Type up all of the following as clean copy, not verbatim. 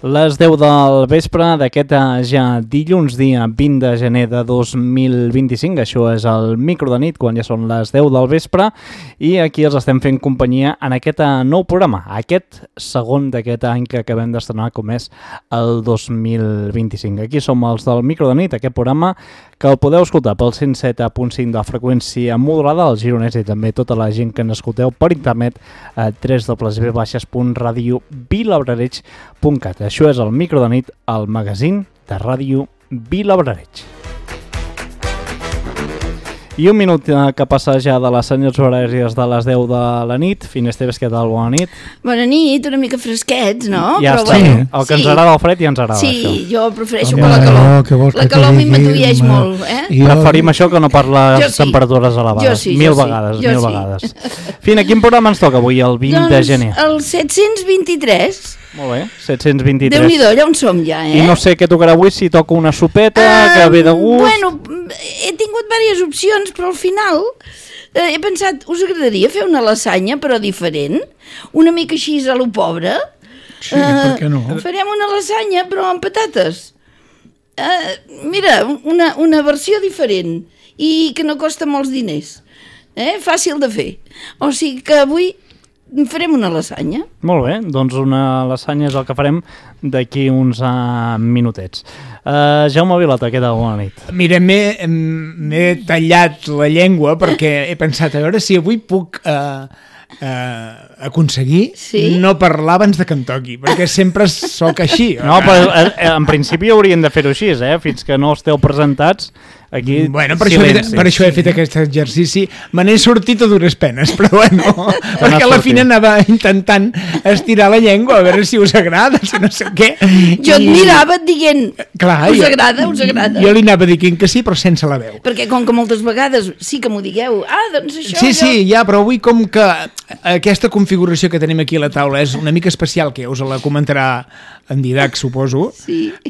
Les 10 del vespre d'aquest ja dilluns, dia 20 de gener de 2025. Això és el micro de nit, quan ja són les 10 del vespre, i aquí els estem fent companyia en aquest nou programa, aquest segon d'aquest any que acabem d'estrenar, com és el 2025. Aquí som els del micro de nit, aquest programa que el podeu escoltar pel 107.5 de freqüència modulada, al Gironès, i també tota la gent que ens escolteu per internet a www.radiovilabrareig.cat. Això és el micro de nit, el magazín de Ràdio Vilabrareig. I un minut que passa ja de les senyors horàries de les 10 de la nit. Finesteves, què tal? Bona nit. Bona nit, una mica fresquets, no? Ja però està, bueno, el que ens agrada el fred ja ens agrada, sí, això. Sí, jo prefereixo per la calor. La calor a mi m'atuieix molt, Preferim això que no per les temperatures elevades. Jo sí, mil vegades. Fina, quin programa ens toca avui, el 20 de gener? El 723. Molt bé, 723. Déu-n'hi-do, allà on som ja, I no sé què tocarà avui, si toca una sopeta, que ve de gust... Bueno, he tingut diverses opcions, però al final he pensat, us agradaria fer una lasanya, però diferent? Una mica així a lo pobre? Sí, per què no? Farem una lasanya, però amb patates. Mira, una versió diferent i que no costa molts diners. Fàcil de fer. O sigui que avui farem una lasanya. Molt bé, doncs una lasanya és el que farem d'aquí uns minutets. Jaume Vilata, què tal? Bona nit. Mira, m'he tallat la llengua perquè he pensat a veure si avui puc aconseguir no parlar abans de que em toqui, perquè sempre sóc així. No, però en principi haurien de fer-ho així, fins que no esteu presentats. Aquí, bueno, per això he fet aquest exercici. Me n'he sortit a dures penes, però bueno, perquè a la fina anava intentant estirar la llengua a veure si us agrada, si no sé què. Jo et mirava dient, clar, us agrada? Jo li anava dient que sí, però sense la veu. Perquè com que moltes vegades sí que m'ho digueu, doncs això... Sí, ja, però avui com que aquesta configuració que tenim aquí a la taula és una mica especial, que us la comentarà en Didac, suposo,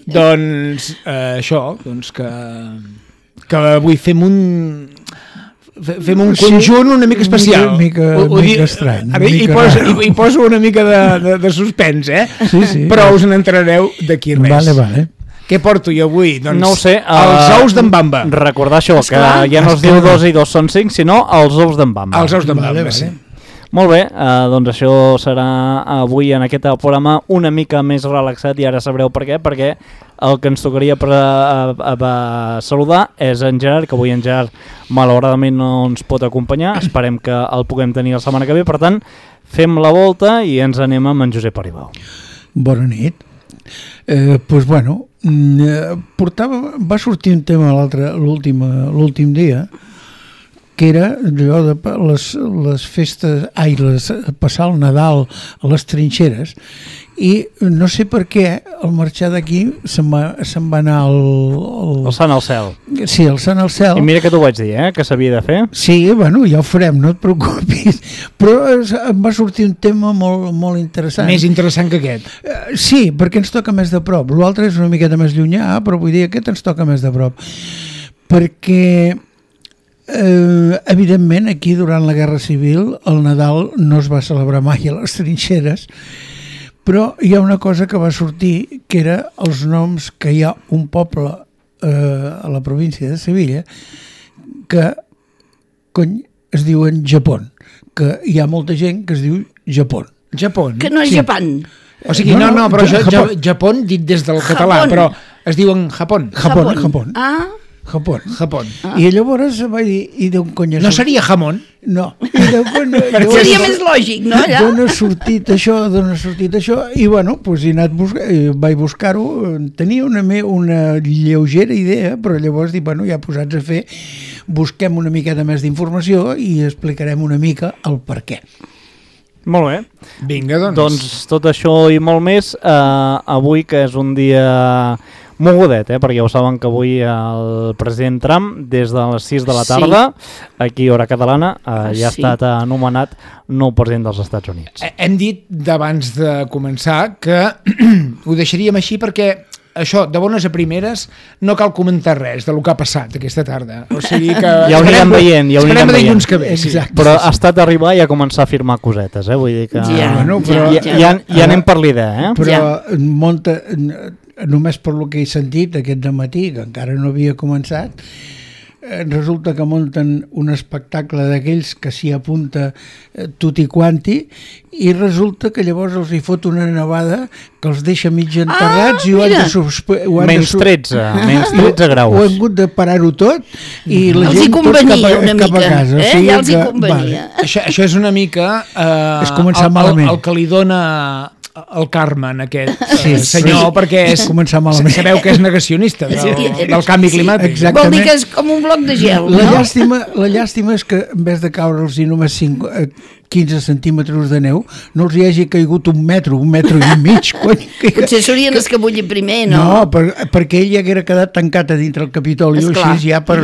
doncs això, doncs que avui fem un conjunt una mica especial. Una mica estrany. Hi poso una mica de suspens, Sí. Però us n'entrareu d'aquí res. Vale. Què porto jo avui? Doncs no ho sé, els ous d'en Bamba. Recordar això, que ja no es diu 2 i 2 són 5, sinó els ous d'en Bamba. Els ous d'en Bamba, sí. Molt bé, doncs això serà avui en aquest programa una mica més relaxat, i ara sabreu per què, perquè el que ens tocaria per saludar és en Gerard, que avui en Gerard malauradament no ens pot acompanyar. Esperem que el puguem tenir la setmana que ve, per tant fem la volta i ens anem amb en Josep Aribau. Bona nit. Doncs bueno, va sortir un tema l'últim dia, que era allò de les festes, passar el Nadal a les trinxeres, i no sé per què al marxar d'aquí se'n va anar el Sant al cel. Sí, el Sant al cel. I mira que t'ho vaig dir, que s'havia de fer. Sí, bueno, ja ho farem, no et preocupis, però em va sortir un tema molt, molt interessant. Més interessant que aquest. Sí, perquè ens toca més de prop. L'altre és una miqueta més llunyà, però vull dir, aquest ens toca més de prop, perquè evidentment aquí durant la Guerra Civil el Nadal no es va celebrar mai a les trinxeres, però hi ha una cosa que va sortir, que era els noms que hi ha un poble a la província de Sevilla que es diuen Japó, que hi ha molta gent que es diu Japó. Que no és Japan. O sigui, no, però Japó dit des del català, però es diuen Japó. Japó. I llavors vaig dir, i d'on cony no seria jamón? No. Seria més lògic, no? D'on ha sortit això, i bueno, doncs vaig buscar-ho, tenia una lleugera idea, però llavors dic, bueno, ja posats a fer, busquem una miqueta més d'informació i explicarem una mica el per què. Molt bé. Vinga, doncs tot això i molt més, avui que és un dia mogudet, perquè ho saben que avui el president Trump, des de les 6 de la tarda, aquí hora catalana, ja ha estat anomenat nou president dels Estats Units. Hem dit d'abans de començar que ho deixaríem així perquè això, de bones a primeres, no cal comentar res del que ha passat aquesta tarda. O sigui que... Ja ho anirem veient, ja ho anirem veient. dilluns que ve. Exacte. Però ha estat arribar i a començar a firmar cosetes, vull dir que... Bueno, però- Ja anem per l'idea, Però només per lo que he sentit aquest dematí, que encara no havia començat, resulta que munten un espectacle d'aquells que s'hi apunta tutti quanti i resulta que llavors els hi fot una nevada que els deixa mig enterrats i ho han de menys 13 graus. Ho han hagut de parar-ho tot i la Els hi gent tots convenia una cap a mica, casa. ja els hi convenia. Això és una mica És començar malament. el que li dona el Carmen, aquest Sí, senyor, perquè és començar malament. sabeu que és negacionista del canvi climàtic. exacte. Vol dir que és com un bloc de gel, La no? llàstima és que en vez de caure'ls només 15 centímetres de neu, no els hi hagi caigut un metro i mig. Potser s'haurien escabullit primer, no? No, perquè ell ja haguera quedat tancat a dintre el Capitoli, Esclar, així ja per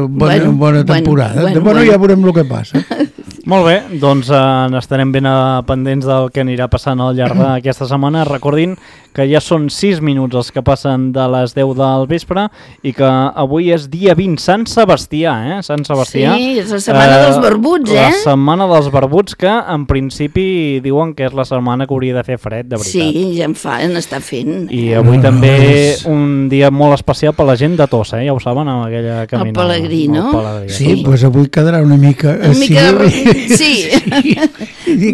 Bueno, bona temporada. bueno. Ja veurem el que passa. Molt bé, doncs n'estarem ben pendents del que anirà passant al llarg d'aquesta setmana. Recordin que ja són 6 minuts els que passen de les 10 del vespre i que avui és dia 20, Sant Sebastià, Sant Sebastià. Sí, és la setmana dels barbuts, La setmana dels barbuts, que en principi diuen que és la setmana que hauria de fer fred, de veritat. Sí, ja n'està fent. I avui també un dia molt especial per la gent de Tossa, ja ho saben, amb aquella caminada. Pelegrí, no? El Pelegrí. Sí, doncs avui quedarà una mica... Sí,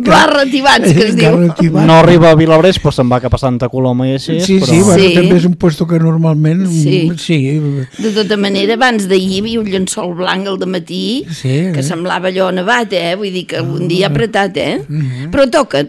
barratibats, que es diu. No arriba a Vilabrés, però se'n va cap a Santa Coloma i així. Sí, però... sí, bueno, Sí. també és un puesto que normalment... Sí. De tota manera, abans d'ahir hi havia un llençol blanc al dematí que semblava allò nevat, Vull dir que un dia apretat, Però toca.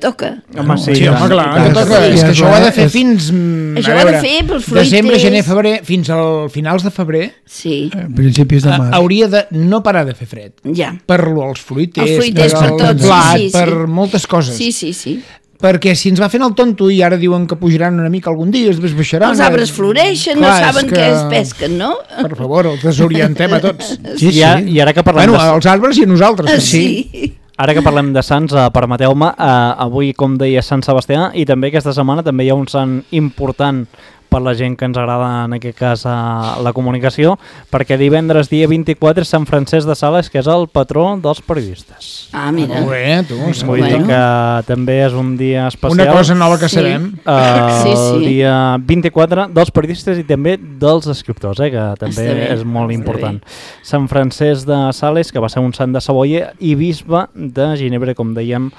Home, sí, Sí, home, clar, que toca. És que això ho ha de fer fins... Això ho ha de fer pels fruiters. Desembre, gener, febrer, fins al finals de febrer, Sí, principis de mar. hauria de no parar de fer fred. ja. Per als fruiters, Els fruiters, per al tots, blat, sí. per moltes coses. Sí. Perquè si ens va fent el tonto i ara diuen que pujaran una mica algun dia, després baixaran... Els arbres floreixen, no Clar, és saben que- què es pesquen, no? Per favor, els desorientem a tots. I ara que parlem Bueno, els arbres i a nosaltres. també. Sí. Ara que parlem de sants, permeteu-me, avui, com deia, Sant Sebastià, i també aquesta setmana també hi ha un sant important per la gent que ens agrada, en aquest cas, la comunicació, perquè divendres, dia 24, és Sant Francesc de Sales, que és el patró dels periodistes. Ah, mira. Molt bé, tu. Vull dir que també és un dia especial. Una cosa nova que Sí. sabem. El dia 24 dels periodistes i també dels escriptors, que també Està bé, és molt està important. Sant Francesc de Sales, que va ser un sant de Savoia i bisbe de Ginebra, com dèiem,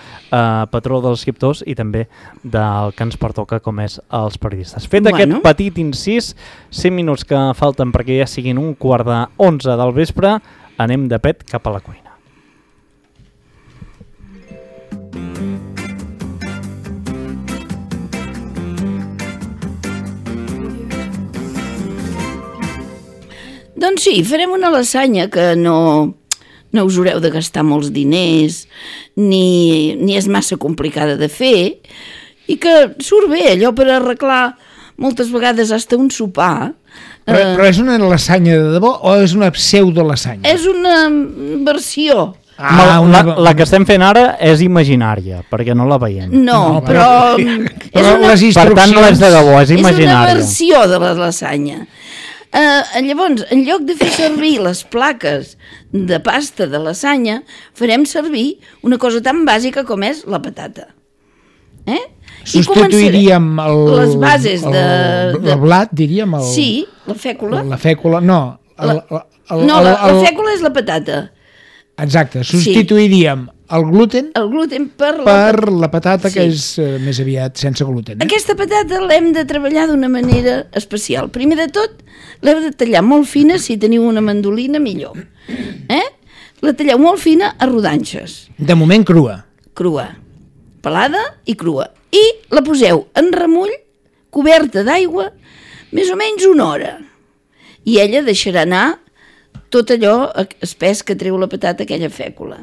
patró dels escriptors i també del que ens pertoca, com és els periodistes. Fet aquest petit incís, 5 minuts que falten perquè ja siguin 11:15 del vespre, anem de pet cap a la cuina. Doncs sí, farem una lasanya que no us haureu de gastar molts diners, ni és massa complicada de fer, i que surt bé, allò per arreglar moltes vegades hasta un sopar. Però és una lasanya de debò o és una pseudo-lasanya? És una versió. La que estem fent ara és imaginària, perquè no la veiem. No, però... Per tant, no és de debò, és imaginària. És una versió de la lasanya. Llavors, en lloc de fer servir les plaques de pasta de lasanya, farem servir una cosa tan bàsica com és la patata. Substituiríem les bases el blat, diríem? Sí, la fècula. La fècula, no. La fècula és la patata. Exacte, substituiríem el gluten per la patata, que és més aviat sense gluten. Aquesta patata l'hem de treballar d'una manera especial. Primer de tot, l'heu de tallar molt fina, si teniu una mandolina, millor. La talleu molt fina a rodanxes. De moment crua. Crua. Pelada i crua. I la poseu en remull, coberta d'aigua, més o menys 1 hora. I ella deixarà anar tot allò espès que treu la patata, aquella fècula.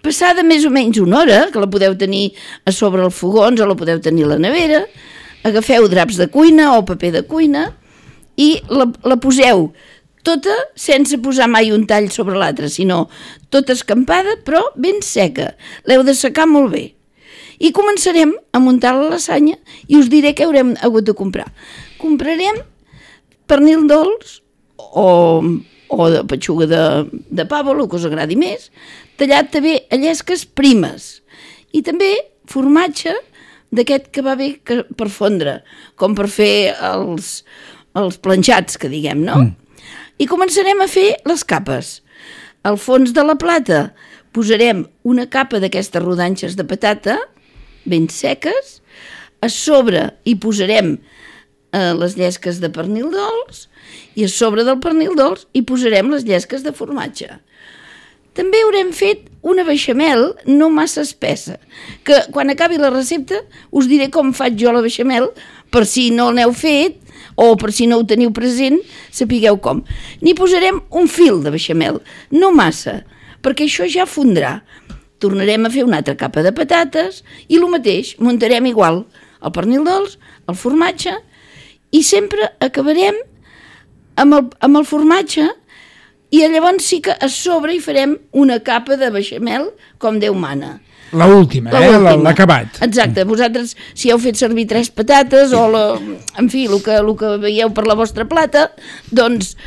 Passada més o menys 1 hora, que la podeu tenir a sobre els fogons o la podeu tenir a la nevera, agafeu draps de cuina o paper de cuina i la poseu tota sense posar mai un tall sobre l'altre, sinó tota escampada però ben seca. L'heu de secar molt bé. I començarem a muntar la lasanya i us diré què haurem hagut de comprar. comprarem pernil dolç o de petxuga de pavo, el que us agradi més, tallat també a llesques primes. I també formatge d'aquest que va bé per fondre, com per fer els planxats, que diguem, no? I començarem a fer les capes. Al fons de la plata posarem una capa d'aquestes rodanxes de patata, ben seques, a sobre hi posarem les llesques de pernil dolç i a sobre del pernil dolç hi posarem les llesques de formatge. També haurem fet una beixamel no massa espessa, que quan acabi la recepta us diré com faig jo la beixamel, per si no l'heu fet o per si no ho teniu present, sapigueu com. N'hi posarem un fil de beixamel, no massa, perquè això ja fondrà. Tornarem a fer una altra capa de patates i el mateix, muntarem igual el pernil dolç, el formatge, i sempre acabarem amb el formatge i llavors sí que a sobre hi farem una capa de beixamel com Déu mana. L'última, l'acabat. Exacte, vosaltres si heu fet servir 3 patates o en fi, el que veieu per la vostra plata, doncs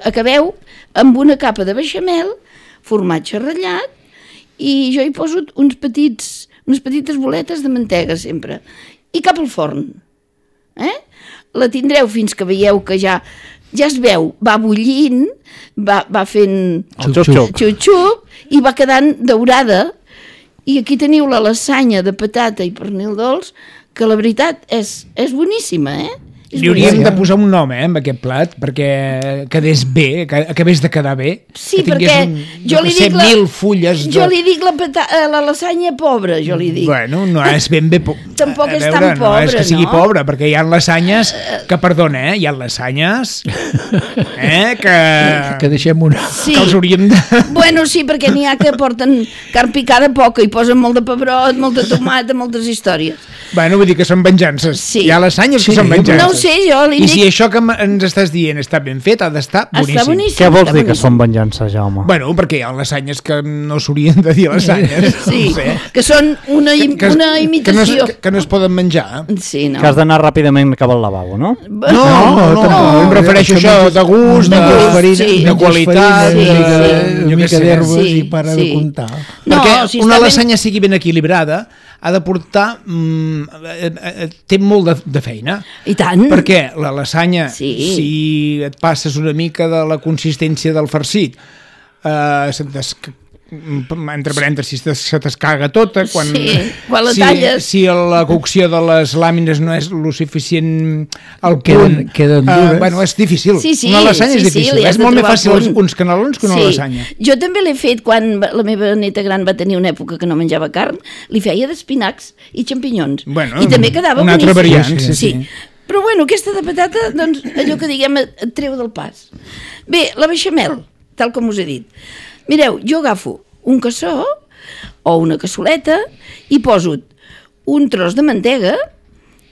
acabeu amb una capa de beixamel, formatge ratllat, i jo hi poso unes petites boletes de mantega sempre, i cap al forn. La tindreu fins que veieu que ja es veu, va bullint, va fent xup-xup i va quedant daurada. I aquí teniu la lasanya de patata i pernil dolç, que la veritat és boníssima, Li hauríem de posar un nom, amb aquest plat, perquè quedés bé, que acabés de quedar bé. Sí, perquè jo li dic 1.000 fulles. Jo li dic la lasanya pobra, jo li dic. Bueno, no és ben bé... Tampoc és tan pobra, no? No és que sigui pobra, perquè hi ha lasanyes que, perdona, hi ha lasanyes que deixem una... Sí. Que els hauríem de... Bueno, sí, perquè n'hi ha que porten carn picada poca i posen molt de pebrot, molt de tomata, moltes històries. Bueno, vull dir que són venjances. Sí. Hi ha lasanyes que són venjances. No ho sé, jo li dic... I si això que ens estàs dient està ben fet, ha d'estar boníssim. Està boníssim. Què vols dir que són venjances, Jaume? Bueno, perquè hi ha lasanyes que no s'haurien de dir lasanyes. Sí, no sé. que són una imitació. Que no es poden menjar. Sí, no. Que has d'anar ràpidament cap al lavabo, no? No, em refereixo a això de gust, de qualitat, una mica d'herbes i para de comptar. Perquè una lasanya sigui ben equilibrada ha de portar... té molt de feina. I tant. Perquè la lasanya, si et passes una mica de la consistència del farcit, entre parèntesis, se t'escaga tota quan la talles. Si la cocció de les làmines no és lo suficient al punt, queden dures. Bueno, és difícil. Sí, una lasanya és difícil. És molt més fàcil uns canelons que una lasanya. Jo també l'he fet quan la meva neta gran va tenir una època que no menjava carn, li feia d'espinacs i xampinyons. Bueno, i també quedava una boníssim. altra variant. Sí. Però bueno, aquesta de patata, doncs, allò que diguem et treu del pas. Bé, la beixamel, tal com us he dit. Mireu, jo agafo un cassó o una cassoleta i poso un tros de mantega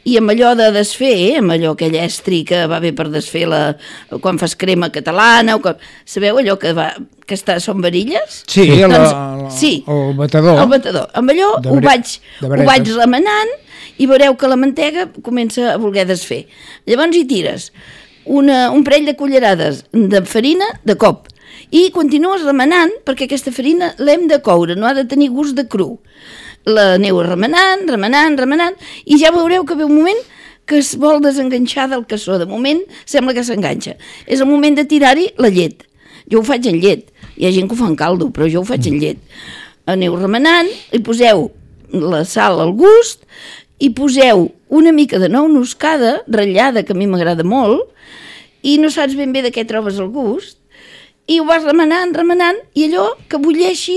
i amb allò de desfer, amb allò aquell estri que va bé per desfer quan fas crema catalana, sabeu allò que són varilles? Sí, el batedor. El batedor. Amb allò ho vaig remenant i veureu que la mantega comença a voler desfer. Llavors hi tires un parell de cullerades de farina de cop i continues remenant perquè aquesta farina l'hem de coure, no ha de tenir gust de cru. La aneu remenant i ja veureu que ve un moment que es vol desenganxar del cassó. De moment sembla que s'enganxa. És el moment de tirar-hi la llet. Jo ho faig en llet. Hi ha gent que ho fa en caldo, però jo ho faig en llet. Aneu remenant, hi poseu la sal al gust, hi poseu una mica de nou moscada ratllada, que a mi m'agrada molt, i no saps ben bé de què trobes el gust, i ho vas remenant, i allò que bulleixi,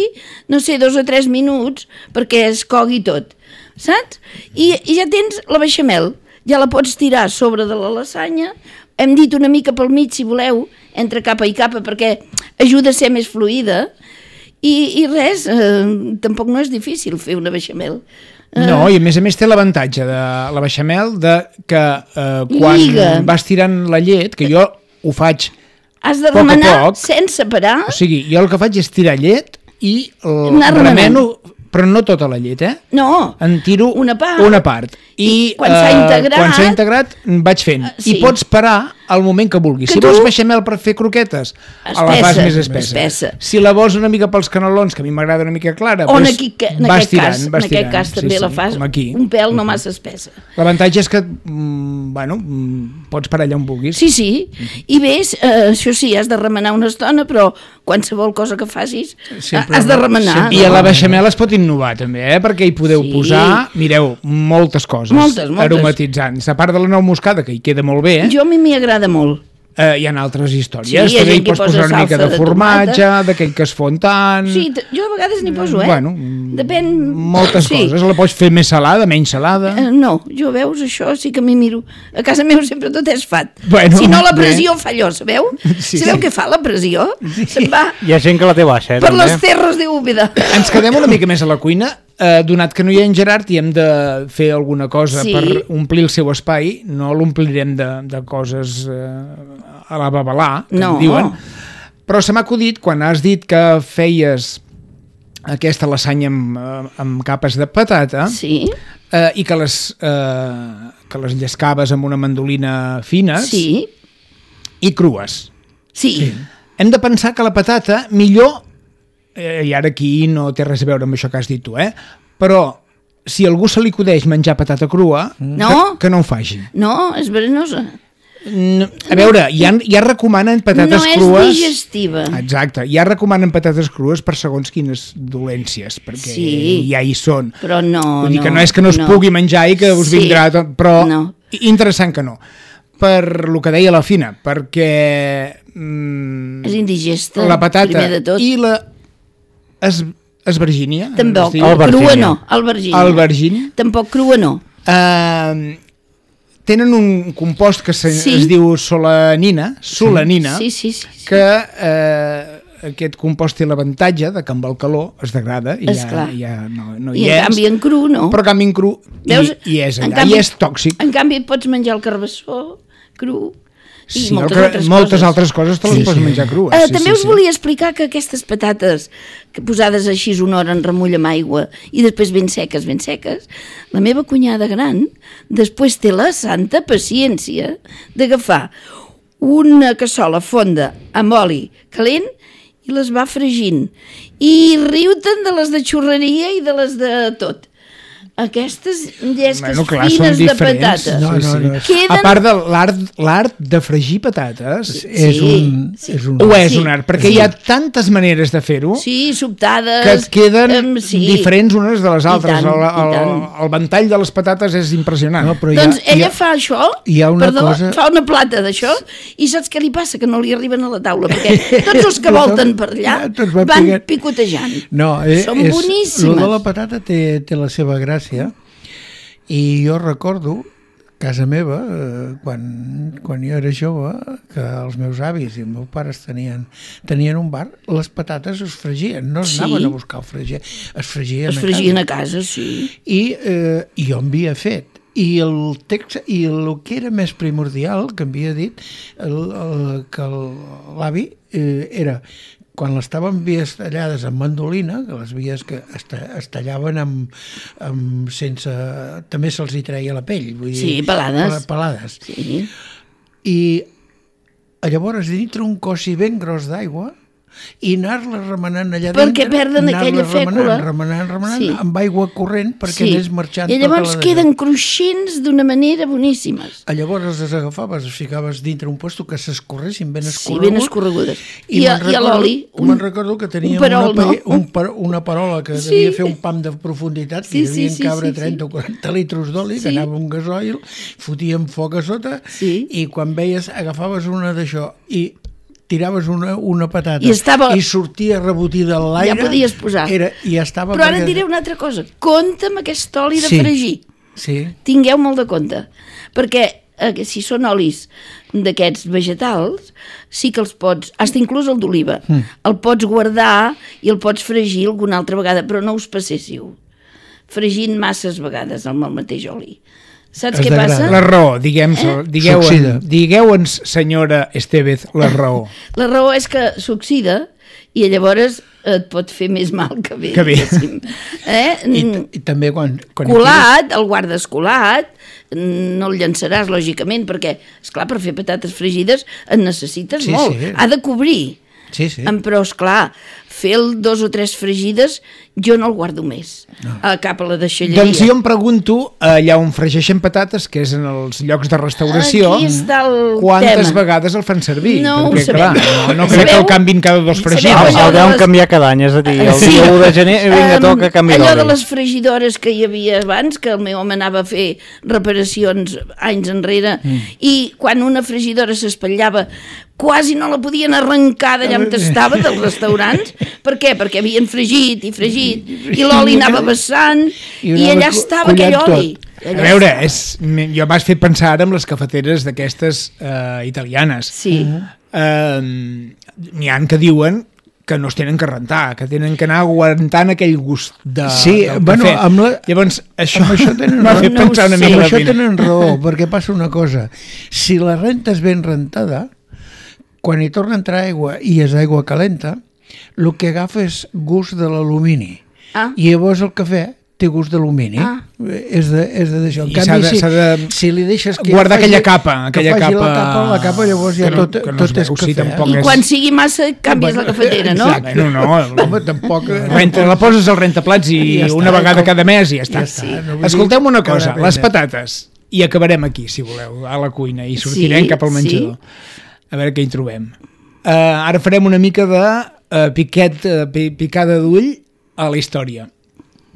no sé, 2 o 3 minuts perquè es cogui tot, saps? I ja tens la beixamel, ja la pots tirar sobre de la lasanya, hem dit una mica pel mig, si voleu, entre capa i capa, perquè ajuda a ser més fluida, i res, tampoc no és difícil fer una beixamel. No, i a més té l'avantatge de la beixamel que quan vas tirant la llet, que jo ho faig has de remenar sense parar. O sigui, jo el que faig és tirar llet i remeno però no tota la llet, No, en tiro una part. I quan s'ha integrat, vaig fent. sí. I pots parar al moment que vulguis. Si vols beixamel per fer croquetes, la fas més espessa. Si la vols una mica pels canelons, que a mi m'agrada una mica clara, o en vas tirant. En aquest cas també la fas un pèl no massa espessa. L'avantatge és que pots parar allà on vulguis. Sí. I ves, això sí, has de remenar una estona, però qualsevol cosa que facis has de remenar. I a la beixamel es pot innovar també, perquè hi podeu posar, mireu, moltes coses. Moltes. Aromatitzants. A part de la nou moscada, que hi queda molt bé. Jo a mi m'hi agrada molt. Hi ha altres històries. Sí, també hi pots posar una mica de formatge, d'aquell que es fon tant... Sí, jo a vegades n'hi poso, Depèn... Moltes coses. La pots fer més salada, menys salada... No, jo veus, això sí que m'hi miro. A casa meva sempre tot és fat. Si no, la pressió fa allò, sabeu? Sabeu què fa la pressió? Se'n va... Hi ha gent que la té baixa, per les terres de Úbeda. Ens quedem una mica més a la cuina. Donat que no hi ha en Gerard i hem de fer alguna cosa per omplir el seu espai, no l'omplirem de coses a la babalà, que en diuen, però se m'ha acudit quan has dit que feies aquesta lasanya amb capes de patata i que les llescaves amb una mandolina fines i crues. Hem de pensar que la patata millor, i ara aquí no té res a veure amb això que has dit tu, però si a algú se li acudeix menjar patata crua, que no ho faci. No, és verinosa. A veure, ja recomanen patates crues... No és digestiva. Exacte, ja recomanen patates crues per segons quines dolències, perquè ja hi són. Però no... Vull dir que no és que no es pugui menjar i que us vindrà tot, però interessant que no. Per lo que deia la Fina, perquè... És indigesta, la patata primer de tot. I la esvergínia. Tampoc, crua no, albergínia. Tampoc crua no. Tenen un compost que es diu solanina, que aquest compost té l'avantatge de que amb el calor es degrada i ja no hi és. I en canvi en cru no. Però en canvi en cru hi és allà, i és tòxic. En canvi pots menjar el carbassó cru. Sí, moltes altres coses te les pots menjar crues. També us volia explicar que aquestes patates posades així una hora en remull amb aigua i després ben seques, la meva cunyada gran després té la santa paciència d'agafar una cassola fonda amb oli calent i les va fregint i riu-te'n de les de xurreria i de les de tot. Aquestes llesques fines de patates a part de l'art de fregir patates és un art, perquè hi ha tantes maneres de fer-ho sobtades que et queden diferents unes de les altres. El ventall de les patates és impressionant. Doncs ella fa això, fa una plata d'això i saps què li passa? Que no li arriben a la taula perquè tots els que volten per allà van picotejant. Són boníssimes. Lo de la patata té la seva gràcia i jo recordo casa meva quan jo era jove que els meus avis i els meus pares tenien un bar, les patates es fregien, no es anaven a buscar el fregier, es fregien a casa. I jo en havia fet i el text i el que era més primordial que em havia dit que l'avi era quan les estaven vies tallades amb mandolina, que les vies que es tallaven sense... també se'ls hi treia la pell. Vull dir, pelades. I llavors dintre un cossi ben gros d'aigua i anar-la remenant allà dintre. Perquè perden aquella fècula. Remenant, amb aigua corrent perquè anés marxant. I llavors queden cruixents d'una manera boníssimes. Llavors les agafaves, les ficaves dintre un puesto que s'escorressin ben escorregudes. Sí, ben escorregudes. I a l'oli. Me'n recordo que tenia una parola que devia fer un pam de profunditat, que devien cabre 30 o 40 litros d'oli, que anava un gasoil, fotíem foc a sota, i quan veies, agafaves una d'això i tiraves una patata i sortia rebotida a l'aire. Ja podies posar. Però ara et diré una altra cosa. Compte amb aquest oli de fregir. Tingueu molt de compte. Perquè si són olis d'aquests vegetals, sí que els pots, fins inclús el d'oliva, el pots guardar i el pots fregir alguna altra vegada, però no us passéssiu. Fregint masses vegades amb el mateix oli. Saps què passa? La raó, digueu-nos, senyora Estevez, la raó. La raó és que s'oxida i llavors et pot fer més mal que bé. I també quan colat, el guardes colat, no el llançaràs, lògicament, perquè, esclar, per fer patates fregides en necessites molt. Sí. Ha de cobrir. Sí. Però, esclar, fer 2 o 3 fregides jo no el guardo més cap a la deixalleria. Doncs jo em pregunto, allà on fregeixen patates, que és en els llocs de restauració, quantes vegades el fan servir? No perquè, ho sabem. Clar, no crec que el canvin cada 2 fregides. El deuen canviar cada any, és a dir, el dia 1 de gener vinga, toca canviar allò de les fregidores que hi havia abans, que el meu home anava a fer reparacions anys enrere, i quan una fregidora s'espatllava quasi no la podien arrencar d'allà on estava, dels restaurants. Per què? Perquè havien fregit i l'oli anava vessant i allà estava aquell oli. A veure, jo m'has fet pensar ara en les cafeteres d'aquestes italianes. Sí. N'hi ha que diuen que no es tenen que rentar, que tenen que anar aguantant aquell gust del cafè. Llavors, això m'ha fet pensar una mica. Amb això tenen raó, perquè passa una cosa. Si la renta és ben rentada, quan hi torna a entrar aigua i és aigua calenta, el que agafa és gust de l'alumini. I llavors el cafè té gust d'alumini. És de deixar. En canvi, si li deixes que guardar aquella capa. La capa llavors ja tot és cafè. I quan sigui massa canvies la cafetera, no? No, tampoc. La poses al rentaplats i una vegada cada mes i ja està. Escolteu-me una cosa, les patates, i acabarem aquí, si voleu, a la cuina, i sortirem cap al menjador. A veure què hi trobem. Ara farem una mica de picada d'ull a la història.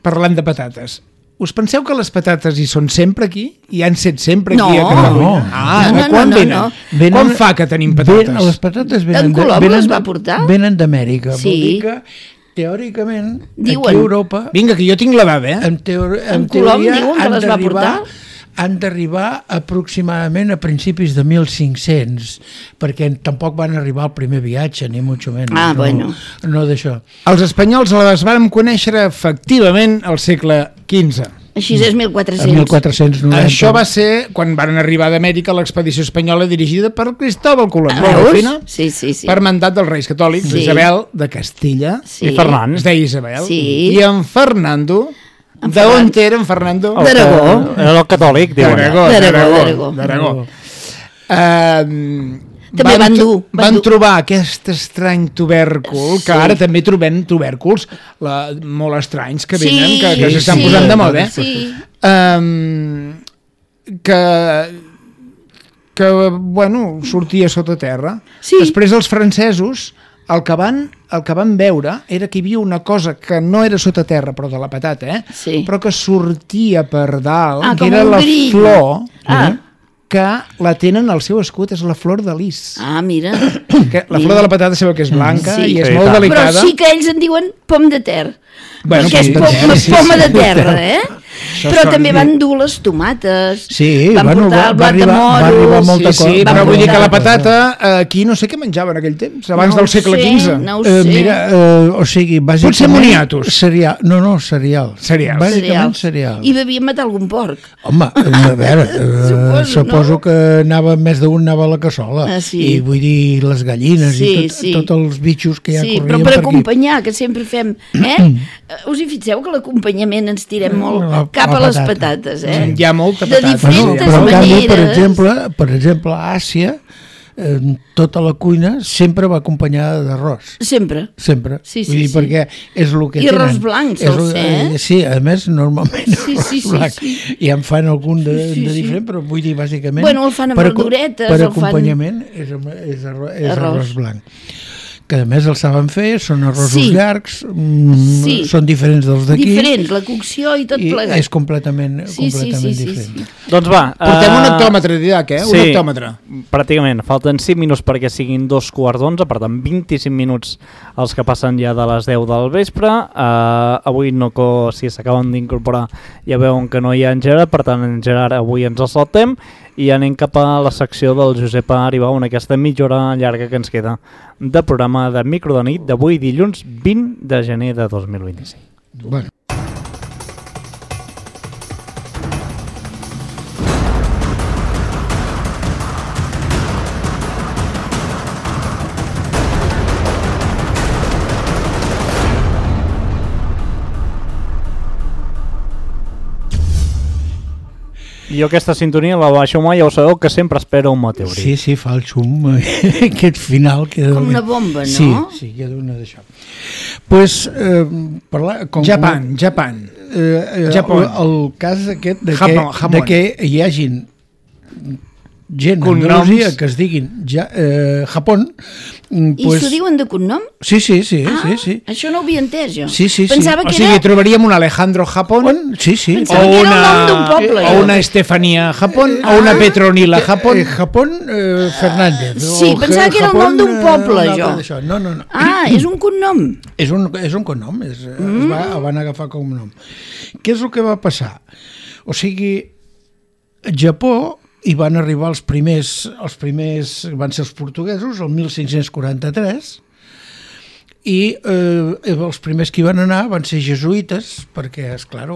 Parlant de patates. Us penseu que les patates hi són sempre aquí? I han set sempre aquí a Catalunya? Quan venen? Com fa que tenim patates? Les patates en Colom les va portar? Venen d'Amèrica. Vol dir que, teòricament, aquí a Europa... Vinga, que jo tinc l'edat, En Colom diuen que les va portar? Han d'arribar aproximadament a principis de 1500, perquè tampoc van arribar al primer viatge, ni mucho menos. Bueno. No d'això. Els espanyols les van conèixer efectivament al segle XV. Així és 1400. 1490. Això va ser quan van arribar d'Amèrica l'expedició espanyola dirigida per Cristóbal Colón. Sí. Per mandat dels reis catòlics, Isabel de Castilla i Ferran. Es deia Isabel. Sí. I en Fernando... D'on era en Fernando? D'Aragó. Era el catòlic, diuen. D'Aragó. També van trobar aquest estrany tubèrcul, que ara també trobem tubèrculs molt estranys que venen, que s'estan posant de moda, que sortia sota terra. Després els francesos el que van veure era que hi havia una cosa que no era sota terra, però de la patata, però que sortia per dalt, que era la flor, que la tenen al seu escut, és la flor de lis. Mira. La flor de la patata sabeu que és blanca i és molt delicada. Però sí que ells en diuen pom de terra. Perquè és poma de terra, Però també van dur les tomates, van portar el blat de moro... Va arribar molta cosa. Sí, però vull dir que la patata, aquí no sé què menjaven en aquell temps, abans del segle XV. No ho sé. Mira, o sigui, bàsicament... Potser moniatos. Cereal. Bàsicament cereal. I devien matar algun porc. Home, a veure, suposo que més d'un anava a la cassola. I vull dir, les gallines i tots els bitxos que ja corrien per aquí. Sí, però per acompanyar, que sempre fem... Us hi fixeu que l'acompanyament ens tirem molt cap a les patates, Hi ha molta patata. De diferents maneres. Per exemple, a Àsia, tota la cuina sempre va acompanyada d'arròs. Sempre. Sí. Vull dir, perquè és el que tenen. I arròs blanc, sol ser, Sí, a més, normalment arròs blanc. I en fan algun de diferent, però vull dir, bàsicament... Bueno, el fan amb verduretes. Per acompanyament és arròs blanc. Que a més el saben fer, són arrossos llargs, són diferents dels d'aquí. Diferents, la cocció i tot plegat. És completament diferent. Doncs va. Portem un hectòmetre, Didac, un hectòmetre. Pràcticament. Falten 5 minuts perquè siguin 2:15, per tant 25 minuts els que passen ja de les 10 del vespre. Avui si s'acaben d'incorporar ja veuen que no hi ha en Gerard, per tant en Gerard avui ens el saltem i anem cap a la secció del Josep Aribau en aquesta mitja hora llarga que ens queda de programa de Micro de nit d'avui dilluns 20 de gener de 2025. Bueno. jo aquesta sintonia la baixo mai, ja ho sabeu, que sempre espera un meteorit. Sí, fa el xum, aquest final. Com una bomba, no? Sí, queda una d'això. Pues, Japan. Japó. El cas aquest de Japó. que hi hagin gent a Andalusia que es diguin Japó. I s'ho diuen de cognom? Sí. Això no ho havia entès jo. Sí. Pensava que o sigui, trobaríem un Alejandro Japón, Sí. Pensava que era el nom d'un poble. O una Estefania Japón, o una Petronila Japón. Japón Fernández. Sí, pensava que era el nom d'un poble, jo. No. És un cognom. És un cognom, van agafar com nom. Què és el que va passar? O sigui, Japó hi van arribar els primers van ser els portuguesos, el 1543, i els primers que hi van anar van ser jesuïtes, perquè, esclar,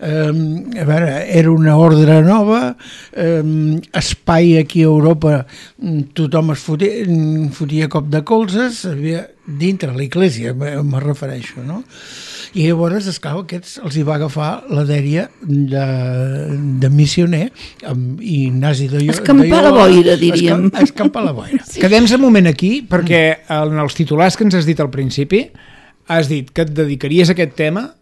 era una ordre nova, espai aquí a Europa, tothom es fotia cop de colzes, dintre l'església, me refereixo, no? I llavors, esclar, aquests els hi va agafar la dèria de missioner, amb Ignasi de Loyola. Escampar la boira, diríem. Escampar la boira. Sí. Quedem un moment aquí, perquè en els titulars que ens has dit al principi, has dit que et dedicaries a aquest tema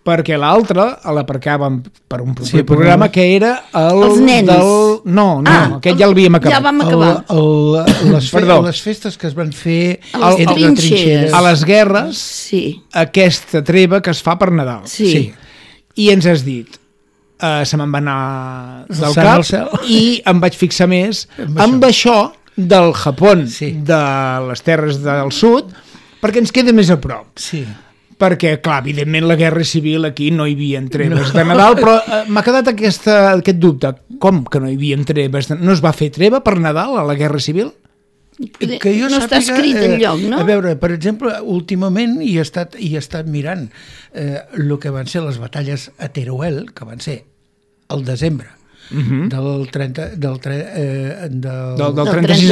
perquè l'altre l'aparcàvem per un proper programa que era els nens. Aquest ja l'havíem acabat. Ja vam acabar. Les festes que es van fer a les trinxeres. A les guerres, aquesta treva que es fa per Nadal. Sí. I ens has dit, se me'n va anar del cap i em vaig fixar més amb això del Japó, de les terres del sud, perquè ens queda més a prop. Sí. Perquè, clar, evidentment la guerra civil aquí no hi havia treves de Nadal, però m'ha quedat aquest dubte. Com que no hi havia treves? No es va fer treva per Nadal a la guerra civil? Que jo no està escrit enlloc, no? A veure, per exemple, últimament hi he estat mirant el que van ser les batalles a Teruel, que van ser al desembre del 36 al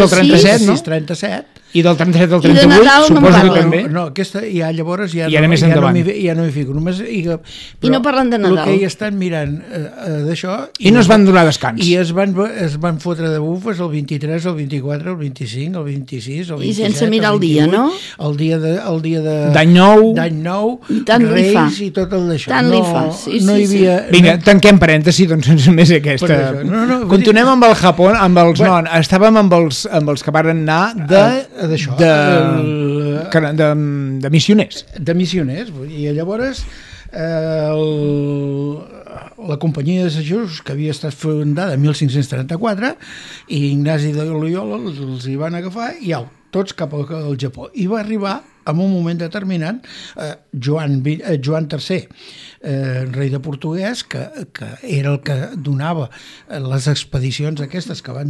37, no? 37. I del 37 al 38, I de Nadal suposo que també. No, aquesta ja llavors ja no m'hi fico. I no parlen de Nadal. El que hi estan mirant d'això... I no es van donar descans. I es van fotre de bufes el 23, el 24, el 25, el 26, el 27... I sense mirar el dia, no? El dia de... D'any nou. Reis i tot el d'això. Tant li fa, sí. No hi havia... Vinga, tanquem parèntesi, doncs només aquesta... Continuem amb el Japó, estàvem amb els que van anar de missioners. De missioners, i llavors la companyia de Jesús, que havia estat fundada en 1534, i Ignasi de Loyola els hi van agafar i tots cap al Japó. I va arribar en un moment determinat Joan III, rei de portuguès, que era el que donava les expedicions aquestes que van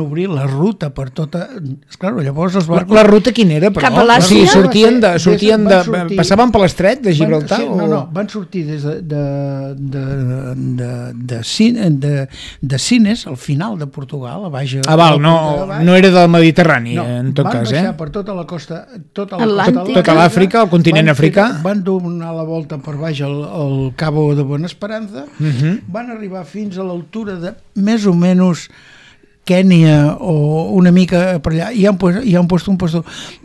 obrir la ruta per tota... Esclar, llavors la ruta quina era? Cap a l'Àsia? Sí, passaven per l'estret de Gibraltar? Van sortir des de Sines, al final de Portugal, a baix... No era del Mediterrani, en tot cas, Van baixar per tota la costa... Tota l'Àfrica, el continent africà. Van donar la volta per baix al Cabo de Bona Esperança, van arribar fins a l'altura de més o menys Kènia o una mica per allà, i han posat un puesto,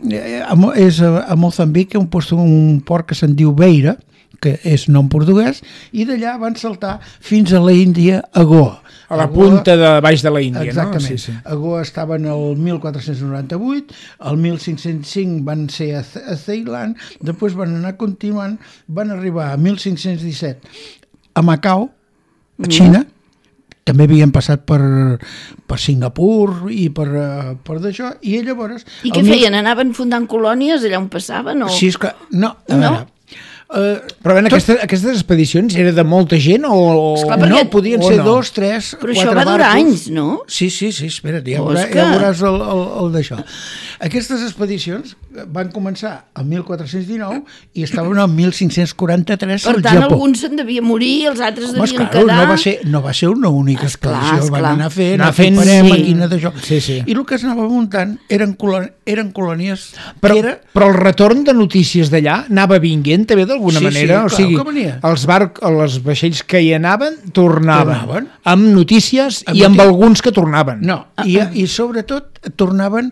és a Moçambic, un port que se'n diu Beira, que és nom portuguès, i d'allà van saltar fins a l'Índia, a Goa. A la punta de baix de la Índia, exactament. No? Sí. A Goa estaven el 1498, el 1505 van ser a Ceilan, després van anar continuant, van arribar a 1517 a Macau, a Xina, també havien passat per Singapur i per d'això, i llavors... I què feien? Anaven fundant colònies allà on passaven? Sí, és que... No, a veure... Però aquestes expedicions era de molta gent o... Esclar, no, podien ser 2, 3, 4 barcos. Però això va durar anys, no? Sí, espera't, ja veuràs el d'això. Aquestes expedicions van començar el 1419 i estaven al 1543 al Japó. Per tant, alguns se'n devia morir, els altres devien quedar... No va ser una única expedició, van anar fent màquina d'això. I el que es anava muntant eren colònies... Però el retorn de notícies d'allà anava vinguent també del d'alguna manera? Sí, clar, que venia. Els vaixells que hi anaven tornaven. Amb notícies i amb alguns que tornaven. No, i sobretot tornaven...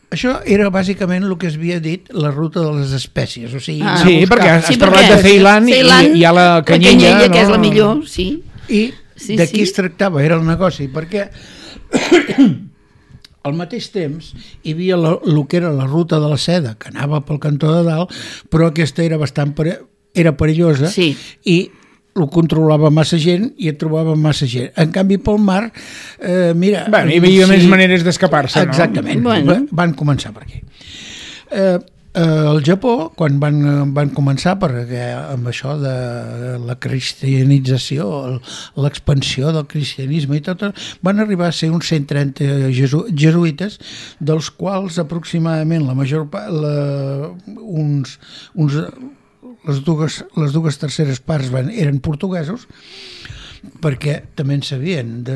Això era bàsicament el que es havia dit la ruta de les espècies, o sigui... Sí, perquè has parlat de Ceilan i hi ha la canyella, que és la millor, sí. I d'aquí es tractava, era el negoci, perquè al mateix temps hi havia el que era la ruta de la seda, que anava pel cantó de dalt, però aquesta era bastant perillosa i ho controlava massa gent i et trobava massa gent. En canvi, pel mar, mira... Bueno, hi havia més maneres d'escapar-se, no? Exactament, van començar per aquí. Al Japó, quan van començar amb això de la cristianització, l'expansió del cristianisme i tot, van arribar a ser uns 130 jesuïtes, dels quals aproximadament la major part, les dues terceres parts eren portuguesos, perquè també en sabien,